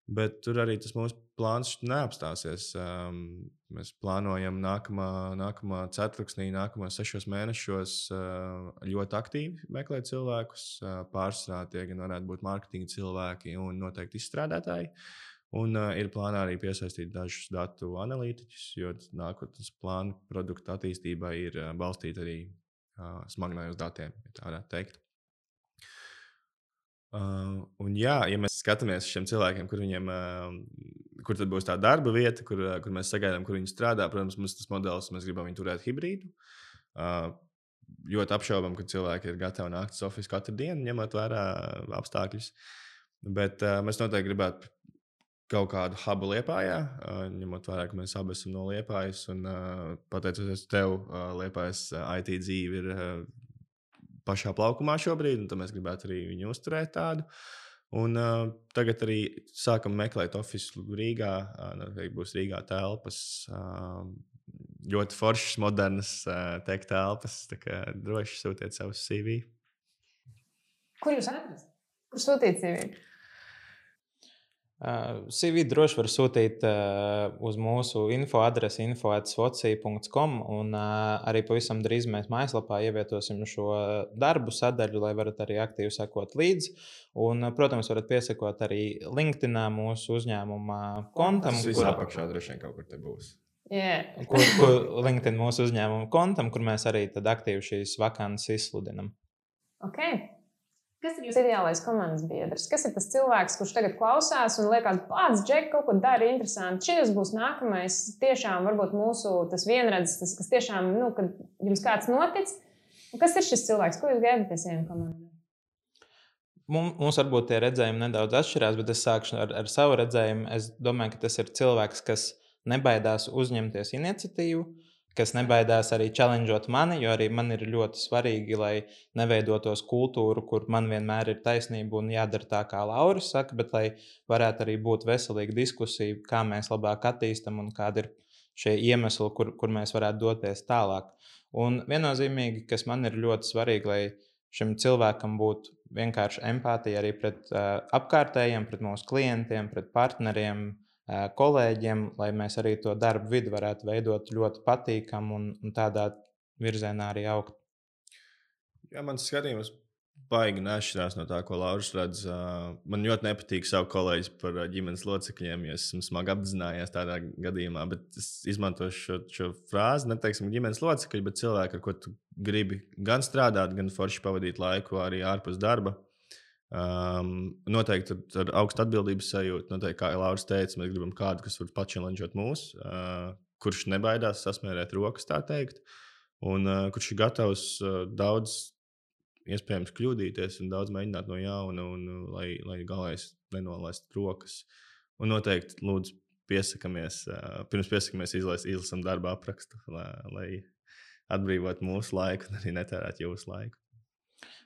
Bet tur arī tas mūsu plāns neapstāsies. Um, mēs plānojam nākamā, nākamā ceturksnī, nākamā sešos mēnešos uh, ļoti aktīvi meklēt cilvēkus. Uh, pārsvarā tie gan varētu būt mārketinga cilvēki un noteikti izstrādātāji. Un uh, ir plānā arī piesaistīt dažus datu analītiķus, jo nākotnes plānu produktu attīstībai ir uh, balstīta arī uh, smagnājos datiem, ja tā varētu teikt. Uh, un jā, ja mēs skatāmies uz šiem cilvēkiem, kur, viņiem, uh, kur tad būs tā darba vieta, kur, uh, kur mēs sagaidām, kur viņi strādā, protams, mums tas modelis, mēs gribam viņu turēt hibrīdu. Uh, ļoti apšaubam, ka cilvēki ir gatavi nākt uz ofisu katru dienu, ņemot vērā apstākļus. Bet uh, mēs noteikti gribētu kaut kādu hubu Liepājā, uh, ņemot vērā, ka mēs abi esam no Liepājas. Un uh, pateicoties tev, uh, Liepājas uh, I T dzīve ir uh, pašā plaukumā šobrīd, un tad mēs gribētu arī viņu uzturēt tādu. Un uh, tagad arī sākam meklēt ofisu Rīgā. Uh, noteikti būs Rīgā telpas, uh, ļoti foršas, modernas uh, tech telpas, tā kā droši sūtiet savus C V. Kur jūs atrast? Kur sūtīt C V? Uh, C V droši var sūtīt uh, uz mūsu info adresi info at svoci punkts com un uh, arī pavisam drīz mēs mājaslapā ievietosim šo darbu sadaļu, lai varat arī aktīvi sekot līdzi. Un, uh, protams, varat piesakot arī LinkedInā mūsu uzņēmuma kontam. Tas viss apakšā droši vien kaut kur te būs. Yeah. kur, kur LinkedIn mūsu uzņēmuma kontam, kur mēs arī tad aktīvi šīs vakances izsludinam. Ok. Kas ir jūsu ideālais komandas biedrs? Kas ir tas cilvēks, kurš tagad klausās un liekas, pats Džek kaut ko dara interesanti? Šis būs nākamais, tiešām varbūt mūsu tas vienredzes, tas, kas tiešām, nu, kad jums kāds notic. Un kas ir šis cilvēks? Ko jūs gaidat pie saviem komandām? Mums, mums varbūt tie redzējumi nedaudz atšķirās, bet es sākšu ar, ar savu redzējumu. Es domāju, ka tas ir cilvēks, kas nebaidās uzņemties iniciatīvu, kas nebaidās arī challengeot mani, jo arī man ir ļoti svarīgi, lai neveidotos kultūru, kur man vienmēr ir taisnība un jādara tā, kā Lauris saka, bet lai varētu arī būt veselīga diskusija, kā mēs labāk attīstam un kādi ir šie iemesli, kur, kur mēs varētu doties tālāk. Un viennozīmīgi, kas man ir ļoti svarīgi, lai šim cilvēkam būtu vienkārši empātija arī pret uh, apkārtējiem, pret mūsu klientiem, pret partneriem, kolēģiem, lai mēs arī to darbu vidi varētu veidot ļoti patīkam un, un tādā virzienā arī augt. Jā, mans skatījums baigi nešķirās no tā, ko Lauris redz. Man ļoti nepatīk savu kolēģis par ģimenes locekļiem, jo esmu smagi apzinājies tādā gadījumā, bet es izmantošu šo, šo frāzi, neteiksim ģimenes locekļi, bet cilvēki, ar ko tu gribi gan strādāt, gan forši pavadīt laiku arī ārpus darba. Um, noteikti ar, ar augstu atbildības sajūtu, noteikti, kā Lauris teica, mēs gribam kādu, kas var pačelenžot mūs, uh, kurš nebaidās sasmērēt rokas, tā teikt, un uh, kurš ir gatavs uh, daudz iespējams kļūdīties un daudz mēģināt no jauna, un, un, lai, lai galais nenolaist rokas. Un noteikti lūdzu piesakamies, uh, pirms piesakamies izlas, izlasam darba aprakstu, lai, lai atbrīvot mūsu laiku un arī netērēt jūsu laiku.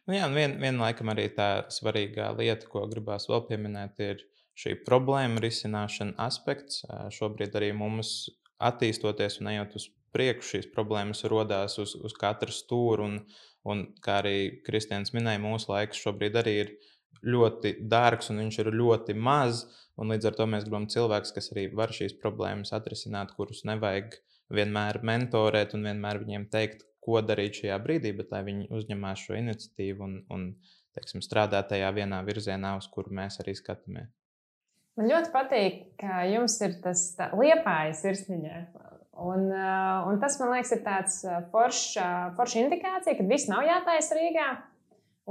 Nu jā, un vien, vienlaikam arī tā svarīgā lieta, ko gribās vēl pieminēt, ir šī problēma risināšana aspekts. Šobrīd arī mums attīstoties un ejot uz priekšu, šīs problēmas rodās uz, uz katru stūru, un, un kā arī Kristians minēja, mūsu laiks šobrīd arī ir ļoti dārgs un viņš ir ļoti maz, un līdz ar to mēs gribam cilvēks, kas arī var šīs problēmas atrisināt, kurus nevajag vienmēr mentorēt un vienmēr viņiem teikt, ko darīt šajā brīdī, bet lai viņi uzņemās šo iniciatīvu un, un teiksim, strādā tajā vienā virzienā, uz kuru mēs arī skatāmies. Man ļoti patīk, ka jums ir tas Liepājas sirsniņā. Un, un tas, man liekas, ir tāds forša, forša indikācija, ka viss nav jātaisa Rīgā.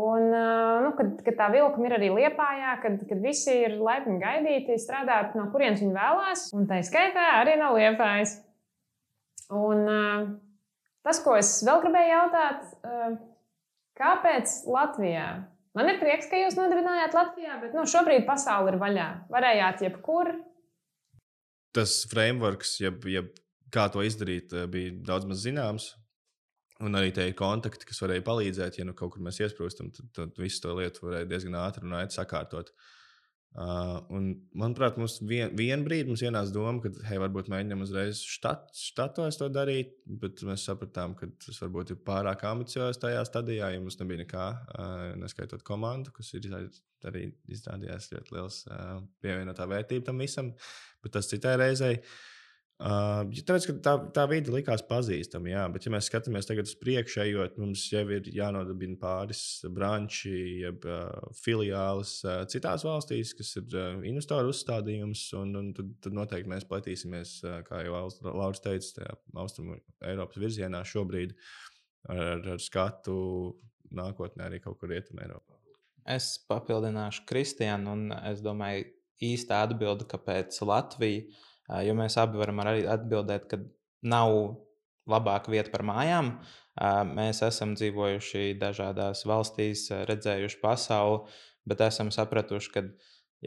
Un, nu, kad, kad tā vilkuma ir arī Liepājā, kad, kad visi ir laipni gaidīti, strādāt, no kurienes viņi vēlās. Un tā skaitā arī no Liepājas. Un tas, ko es vēl gribēju jautāt, kāpēc Latvijā? Man ir prieks, ka jūs nodibinājāt Latvijā, bet nu, šobrīd pasaule ir vaļā. Varējāt jebkur. Tas frameworks, jeb, jeb kā to izdarīt, bija daudz maz zināms. Un arī tie kontakti, kas varēja palīdzēt, ja nu kaut kur mēs iesprūstam, tad, tad visu to lietu varēja diezgan ātri un ātri sakārtot. Uh, un, manuprāt, mums vien, vien brīdi mums ienāca doma, ka, hei, varbūt mēģinām uzreiz štat, štatos to darīt, bet mēs sapratām, ka tas varbūt ir pārāk ambiciozs tajā stadijā, ja mums nebija nekā, uh, neskaitot komandu, kas ir arī izrādījās ļoti liels uh, pievienotā vērtība tam visam, bet tas citai reizei. Uh, tāpēc, ka tā, tā vide likās pazīstama, jā, bet ja mēs skatāmies tagad uz priekšu ejot, mums jau ir jānodibina pāris branči, jeb uh, filiālis uh, citās valstīs, kas ir uh, investoru uzstādījums, un, un tad, tad noteikti mēs platīsimies, uh, kā jau Lauris teica, tajā Austrumu Eiropas virzienā šobrīd ar, ar skatu nākotnē arī kaut kur Rietumē Eiropā. Es papildināšu Kristianu, un es domāju īsta atbilde, kāpēc Latvija. Jo mēs abi varam arī atbildēt, ka nav labāka vieta par mājām. Mēs esam dzīvojuši dažādās valstīs, redzējuši pasauli, bet esam sapratuši, ka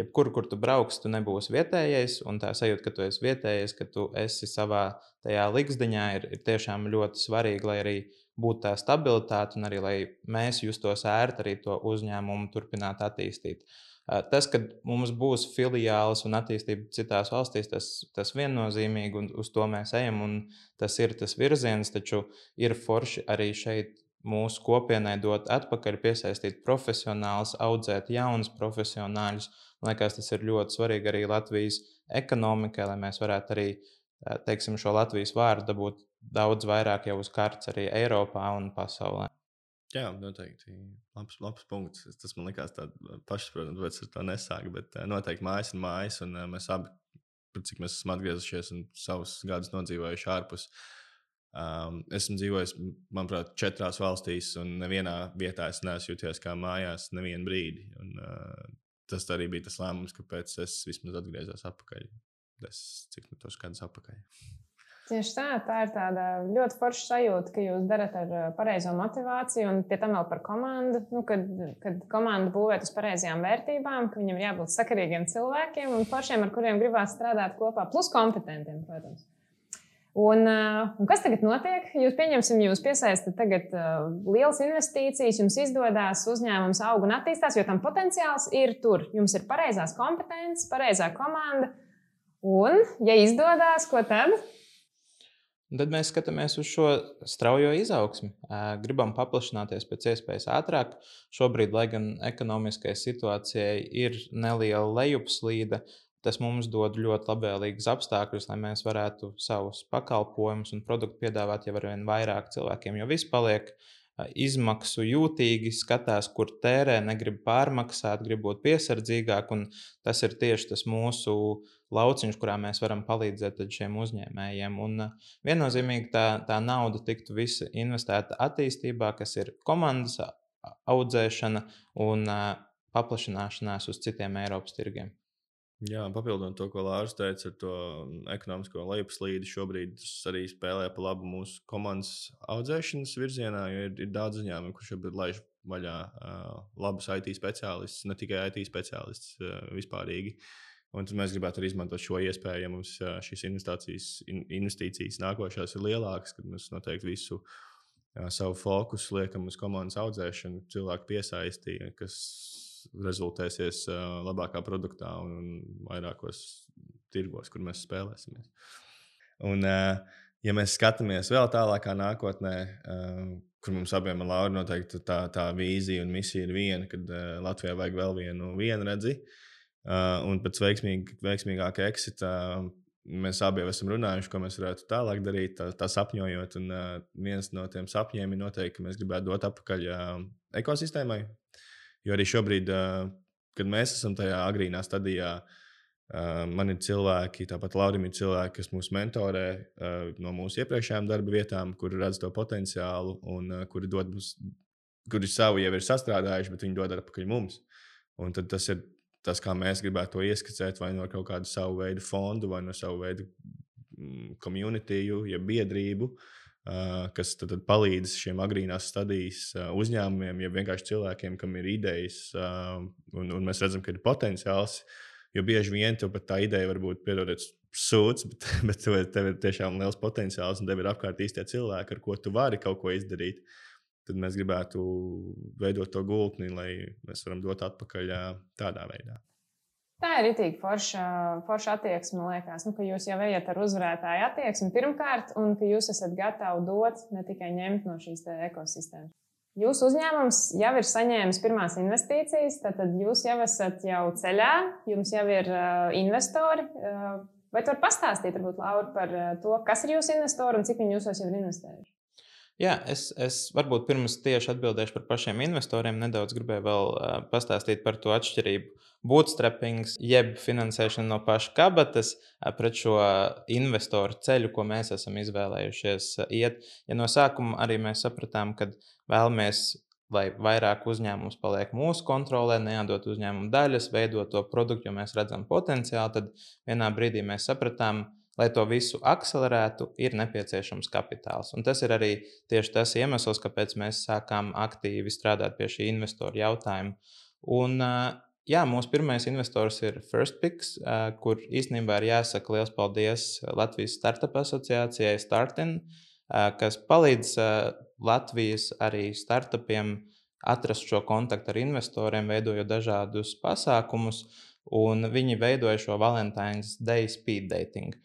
jebkur, kur tu brauks, tu nebūsi vietējais, un tā sajūta, ka tu esi vietējais, ka tu esi savā tajā likzdiņā, ir, ir tiešām ļoti svarīgi, lai arī būtu tā stabilitāte un arī, lai mēs justos ērti arī to uzņēmumu turpināt attīstīt. Tas, ka mums būs filiālis un attīstība citās valstīs, tas, tas viennozīmīgi, un uz to mēs ejam, un tas ir tas virziens, taču ir forši arī šeit mūsu kopienai dot atpakaļ, piesaistīt profesionālus, audzēt jaunus profesionāļus. Man liekas, tas ir ļoti svarīgi arī Latvijas ekonomikai, lai mēs varētu arī, teiksim, šo Latvijas vārdu dabūt daudz vairāk jau uz kartes arī Eiropā un pasaulē. Jā, noteikti. Labs, labs punkts. Tas man likās tāds pašsaprotams, bet es ar to nesāku. Bet noteikti mājas ir mājas, un mēs abi, cik mēs esam atgriezušies un savus gadus nodzīvojuši ārpus. Um, esmu dzīvojis, manuprāt, četrās valstīs, un nevienā vietā es neesmu jūties kā mājās nevienu brīdi. Un, uh, tas arī bija tas lēmums, kāpēc es vismaz atgriezos atpakaļ. Es, cik nu tos gadus atpakaļ. Tieši tā, tā ir tāda ļoti forša sajūta, ka jūs darat ar pareizo motivāciju un pie tam vēl par komandu. Nu, kad, kad komanda būvēt uz pareizajām vērtībām, ka viņam jābūt sakarīgiem cilvēkiem un foršiem, ar kuriem gribās strādāt kopā, plus kompetentiem, protams. Un, un kas tagad notiek? Jūs pieņemsim, jūs piesaistat tagad uh, lielas investīcijas, jums izdodas, uzņēmums aug un attīstās, jo tam potenciāls ir tur. Jums ir pareizās kompetences, pareizā komanda. Un, ja izdodas, ko tad? Tad mēs skatāmies uz šo straujo izaugsmi. Gribam paplašināties pēc iespējas ātrāk. Šobrīd, lai gan ekonomiskajai situācijai ir neliela lejupslīde, tas mums dod ļoti labvēlīgus apstākļus, lai mēs varētu savus pakalpojumus un produktu piedāvāt jau arvien vairāk cilvēkiem. Jo viss paliek izmaksu jūtīgi, skatās, kur tērē, negrib pārmaksāt, grib būt piesardzīgāk. Un tas ir tieši tas mūsu lauciņš, kurā mēs varam palīdzēt šiem uzņēmējiem. Un viennozīmīgi tā, tā nauda tiktu visa investēta attīstībā, kas ir komandas audzēšana un paplašināšanās uz citiem Eiropas tirgiem. Jā, papildinot to, ko Lauris teica ar to ekonomisko lejupslīdi, šobrīd tas arī spēlē pa labu mūsu komandas audzēšanas virzienā, jo ir, ir daudz uzņēmumu, kurš šobrīd laiž vaļā uh, labus I T speciālistus, ne tikai I T speciālistus uh, vispārīgi. Un tad mēs gribētu arī izmantot šo iespēju, ja mums uh, šīs investīcijas, in, investīcijas nākošās ir lielākas, kad mēs noteikti visu uh, savu fokusu liekam uz komandas audzēšanu, cilvēku piesaistīja, kas rezultēsies uh, labākā produktā un vairākos tirgos, kur mēs spēlēsimies. Un, uh, ja mēs skatāmies vēl tālākā nākotnē, uh, kur mums abiem ar Lauru noteikti tā, tā vīzija un misija ir viena, kad uh, Latvijā vajag vēl vienu vienredzi, uh, un pēc veiksmīg, veiksmīgāka exita uh, mēs abi jau esam runājuši, ko mēs varētu tālāk darīt, tā, tā sapņojot, un uh, viens no tiem sapņiem ir noteikti, ka mēs gribētu dot atpakaļ uh, ekosistēmai. Jo arī šobrīd, kad mēs esam tajā agrīnā stadijā, man ir cilvēki, tāpat Laurim ir cilvēki, kas mūs mentorē no mūsu iepriekšējām darba vietām, kuri redz to potenciālu un kuri, dod mums, kuri savu jau ir sastrādājuši, bet viņi dod atpakaļ mums. Un tad tas ir tas, kā mēs gribētu to ieskicēt, vai no kaut kādu savu veidu fondu, vai no savu veidu communityju, ja biedrību, Uh, kas tad, tad palīdz šiem agrīnās stadijas uh, uzņēmumiem, ja vienkārši cilvēkiem, kam ir idejas, uh, un, un mēs redzam, ka ir potenciāls, jo bieži vien tev pat tā ideja varbūt piedodiet sūds, bet, bet tev, tev ir tiešām liels potenciāls, un tev ir apkārt īstie cilvēki, ar ko tu vari kaut ko izdarīt. Tad mēs gribētu veidot to gultni, lai mēs varam dot atpakaļ uh, tādā veidā. Tā ir ritīgi forša, forša attieksme, man liekas, nu, ka jūs jau ejat ar uzvarētāju attieksmi pirmkārt, un ka jūs esat gatavi dot, ne tikai ņemt no šīs ekosistēmas. Jūsu uzņēmums jau ir saņēmis pirmās investīcijas, tad jūs jau esat jau ceļā, jums jau ir uh, investori. Uh, vai tu vari pastāstīt, varbūt, Laura, par uh, to, kas ir jūsu investori un cik viņi jūsos jau ir investējuši? Jā, es, es varbūt pirms tieši atbildēšu par pašiem investoriem, nedaudz gribēju vēl uh, pastāstīt par to atšķirību. Bootstrappings, jeb finansēšana no paša kabatas pret šo investoru ceļu, ko mēs esam izvēlējušies iet. Ja no sākuma arī mēs sapratām, ka vēlamies, lai vairāk uzņēmums paliek mūsu kontrolē, neatdot uzņēmumu daļas, veidot to produktu, jo mēs redzam potenciālu, tad vienā brīdī mēs sapratām, lai to visu akcelerētu, ir nepieciešams kapitāls. Un tas ir arī tieši tas iemesls, kāpēc mēs sākām aktīvi strādāt pie šī investoru jautājuma. Un jā, mūsu pirmais investors ir FirstPix, kur īstenībā ir jāsaka liels paldies Latvijas Startup asociācijai Startin, kas palīdz Latvijas arī startupiem atrast šo kontaktu ar investoriem, veidojot dažādus pasākumus, un viņi veidoja šo Valentine's Day speed dating.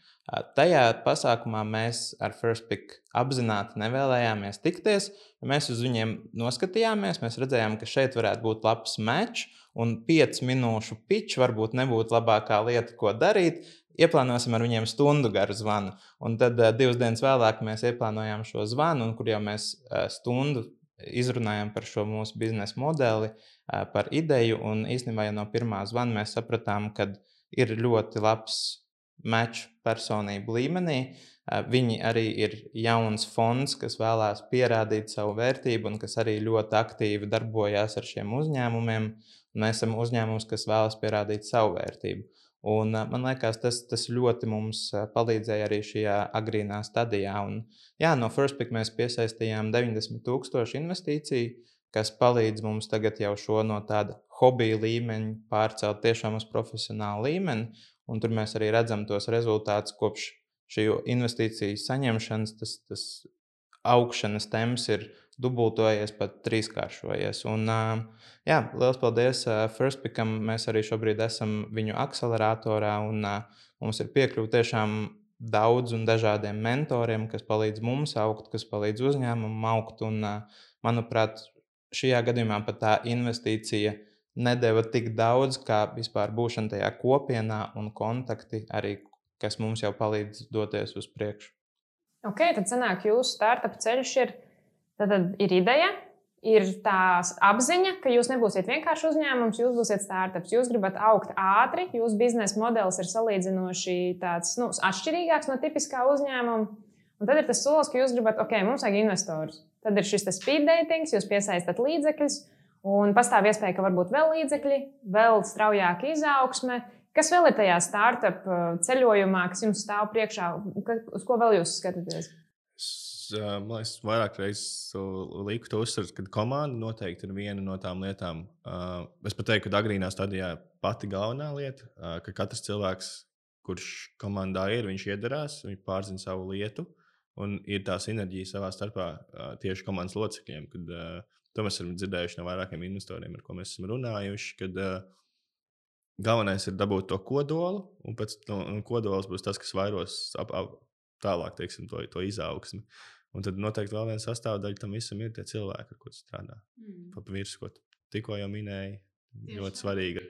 Tajā pasākumā mēs ar FirstPix apzināti nevēlējāmies tikties, mēs uz viņiem noskatījāmies, mēs redzējām, ka šeit varētu būt labs match, un piecu minūšu pitch varbūt nebūtu labākā lieta, ko darīt. Ieplānosim ar viņiem stundu garu zvanu. Un tad uh, divas dienas vēlāk mēs ieplānojām šo zvanu, un kur jau mēs uh, stundu izrunājām par šo mūsu biznesa modeli, uh, par ideju, un īstenībā jau no pirmā zvana mēs sapratām, ka ir ļoti labs match personību līmenī. Uh, viņi arī ir jauns fonds, kas vēlās pierādīt savu vērtību un kas arī ļoti aktīvi darbojās ar šiem uzņēmumiem. Mēs esam uzņēmums, kas vēlas pierādīt savu vērtību. Un, man liekas, tas, tas ļoti mums palīdzēja arī šajā agrīnā stadijā. Un, jā, no FirstPix mēs piesaistījām deviņdesmit tūkstoši investīciju, kas palīdz mums tagad jau šo no tāda hobija līmeņa pārcelt tiešām uz profesionālu līmeni. Un tur mēs arī redzam tos rezultātus kopš šī investīciju saņemšanas, tas, tas augšanas temps ir dubultojies, pat trīskāršojies. Un, jā, liels paldies Firstpickam. Mēs arī šobrīd esam viņu akceleratorā un mums ir piekļuva tiešām daudz un dažādiem mentoriem, kas palīdz mums augt, kas palīdz uzņēmumam augt. Un, manuprāt, šajā gadījumā pat tā investīcija nedeva tik daudz, kā vispār būšana tajā kopienā un kontakti arī, kas mums jau palīdz doties uz priekšu. Ok, tad sanāk, jūsu startup ceļš ir, tad ir ideja, ir tā apziņa, ka jūs nebūsiet vienkārši uzņēmums, jūs būsiet startups. Jūs gribat augt ātri, jūsu biznesa modelis ir salīdzinoši tāds, nu, atšķirīgāks no tipiskā uzņēmuma. Un tad ir tas solis, ka jūs gribat, ok, mums vajag investorus. Tad ir šis speed dating, jūs piesaistat līdzekļus, un pastāv iespēja, ka varbūt vēl līdzekļi, vēl straujāka izaugsme. Kas vēl ir tajā startup ceļojumā, kas jums stāv priekšā? Uz ko vēl jūs skatāties? Man liekas, vairāk reizes liku to uzsvert, ka komanda noteikti ir viena no tām lietām. Es pat teiktu, ka agrīnā stadijā pati galvenā lieta, ka katrs cilvēks, kurš komandā ir, viņš iedarās, viņš pārzina savu lietu un ir tā sinerģija savā starpā tieši komandas locekļiem. Kad, to mēs esam dzirdējuši no vairākiem investoriem, ar ko mēs esam runājuši, kad galvenais ir dabūt to kodolu, un pēc tam kodols būs tas, kas vairos ap, ap, tālāk, teiksim, to, to izaugsmi. Un tad noteikti vēl viena sastāvdaļa tam visam ir tie cilvēki, ar ko tu strādā. Mm. Pa virsmu, ko tu tikko jau minēji, Tieši ļoti svarīgi.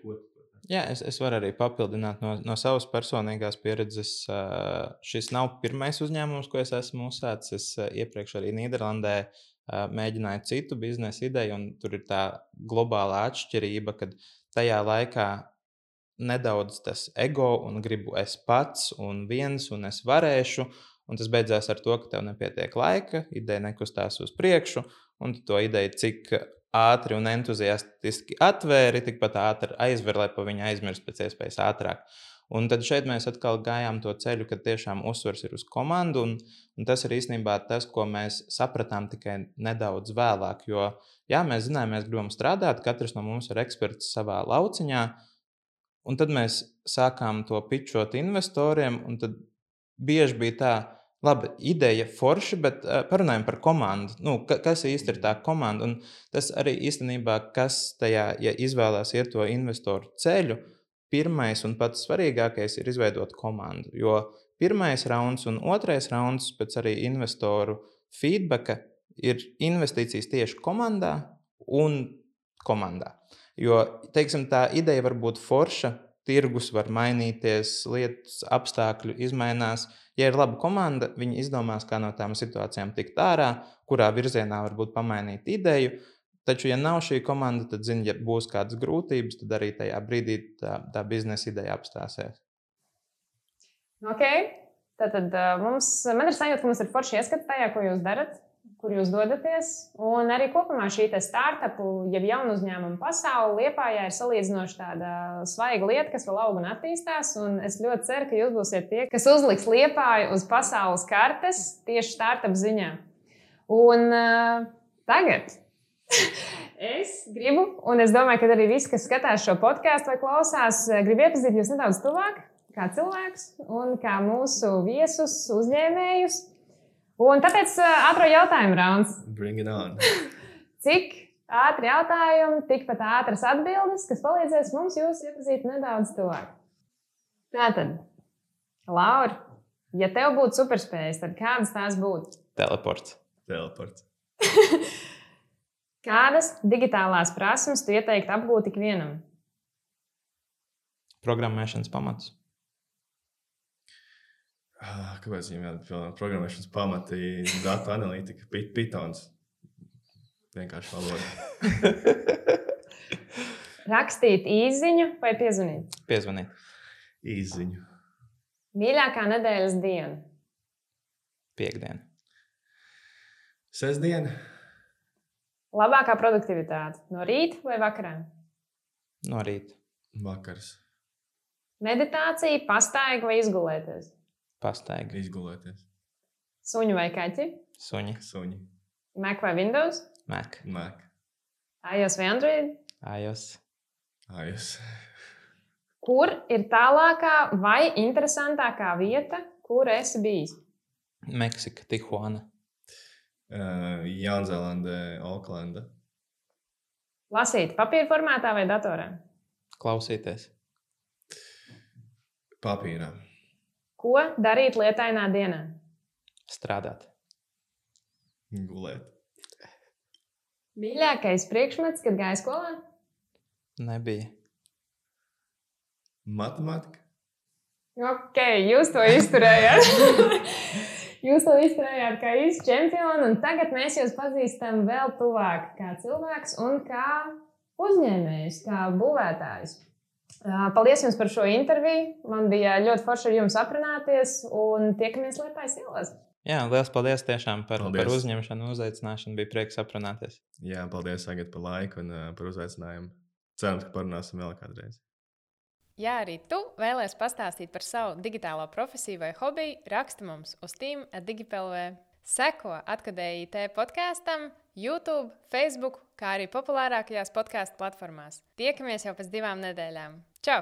Jā, es, es varu arī papildināt no, no savas personīgās pieredzes. Šis nav pirmais uzņēmums, ko es esmu uzsācis. Es iepriekš arī Nīderlandē mēģināju citu biznesa ideju, un tur ir tā globālā atšķirība, kad tajā laikā nedaudz tas ego un gribu es pats un viens un es varēšu. Un tas beidzās ar to, ka tev nepietiek laika, ideja nekustās uz priekšu, un tu to ideju cik ātri un entuziastiski atvēri, tikpat ātri aizver, lai pa viņu aizmirst pēc iespējas ātrāk. Un tad šeit mēs atkal gājām to ceļu, kad tiešām uzsvars ir uz komandu, un, un tas ir īstenībā tas, ko mēs sapratām tikai nedaudz vēlāk, jo, jā, mēs zinājām, mēs gribam strādāt, katrs no mums ir eksperts savā lauciņā, un tad mēs sākām to pitchot investoriem, un tad bieži bija tā, labi, ideja forša, bet uh, parunājam par komandu. Nu, ka, kas īsti ir tā komanda? Un tas arī īstenībā, kas tajā, ja izvēlās iet to investoru ceļu, pirmais un pats svarīgākais ir izveidot komandu. Jo pirmais rauns un otrais rauns pēc arī investoru feedbacka ir investīcijas tieši komandā un komandā. Jo, teiksim, tā ideja var būt forša, tirgus var mainīties, lietas, apstākļi izmainās. Ja ir laba komanda, viņi izdomās, kā no tām situācijām tikt ārā, kurā virzienā varbūt pamainīt ideju. Taču, ja nav šī komanda, tad, zini, ja būs kādas grūtības, tad arī tajā brīdī tā, tā biznesa ideja apstāsies. Ok, tātad mums, man ir sajūta, ka mums ir forši ieskats tajā, ko jūs darat, kur jūs dodaties. Un arī kopumā šī startupu, jeb jaunu uzņēmumu pasaule Liepājā ir salīdzinoši tāda svaiga lieta, kas vēl aug un attīstās. Un es ļoti ceru, ka jūs būsiet tie, kas uzliks Liepāju uz pasaules kartes tieši startup ziņā. Un uh, tagad es gribu, un es domāju, ka arī visi, kas skatās šo podcastu vai klausās, grib iepazīt jūs nedaudz tuvāk kā cilvēks un kā mūsu viesus, uzņēmējus. Un tāpēc ātro jautājumu rauns. Bring it on. Cik ātri jautājumi, tikpat ātras atbildes, kas palīdzēs mums jūs iepazīt nedaudz tuvāk. Tātad, Laura, ja tev būtu superspējas, tad kādas tās būtu? Teleports. Teleports. Kādas digitālās prasmes tu ieteiktu apgūt ikvienam? Programmēšanas pamatus. Kāpēc viņam jāatbilda programmēšanas pamati, datu analītika, Pythons? Vienkārši valoda. Rakstīt īsziņu vai piezvanīt? Piezvanīt. Īsziņu. Mīļākā nedēļas diena? Piektdiena. Sestdiena. Labākā produktivitāte? No rīta vai vakarā? No rīta. Vakars. Meditācija, pastaiga vai izgulēties? Pastaiga. Izgulēties. Suņi vai kaķi? Suņi. Suņi. Mac vai Windows? Mac. Mac. iOS vai Android? iOS. iOS. Kur ir tālākā vai interesantākā vieta, Kur esi bijis? Meksika, Tijuana. Uh, Jaunzēlande, Oklanda. Lasīt papīra formātā vai datorā? Klausīties. Papīrā. Ko darīt lietainā dienā? Strādāt. Gulēt. Mīļākais priekšmets, kad gāji skolā? Nebija. Matemātika. Ok, jūs to izturējāt. Jūs to izturējāt kā īsts čempioni, un tagad mēs jūs pazīstam vēl tuvāk kā cilvēks un kā uzņēmējs, kā būvētājs. Paldies jums par šo interviju. Man bija ļoti forši ar jums aprunāties, un tiekamies Liepājas ielās. Jā, liels paldies tiešām par, Paldies. par uzņemšanu, uzaicināšanu. Bija prieks aprunāties. Jā, paldies, Agat, par laiku un uh, par uzaicinājumu. Cerams, ka parunāsim vēl kādreiz. Ja arī tu vēlies pastāstīt par savu digitālo profesiju vai hobiju, raksti mums uz team at digipelv. Seko Atkadēji I T podkāstam, YouTube, Facebook, kā arī populārākajās podkāstu platformās. Tiekamies jau pēc divām nedēļām. Čau!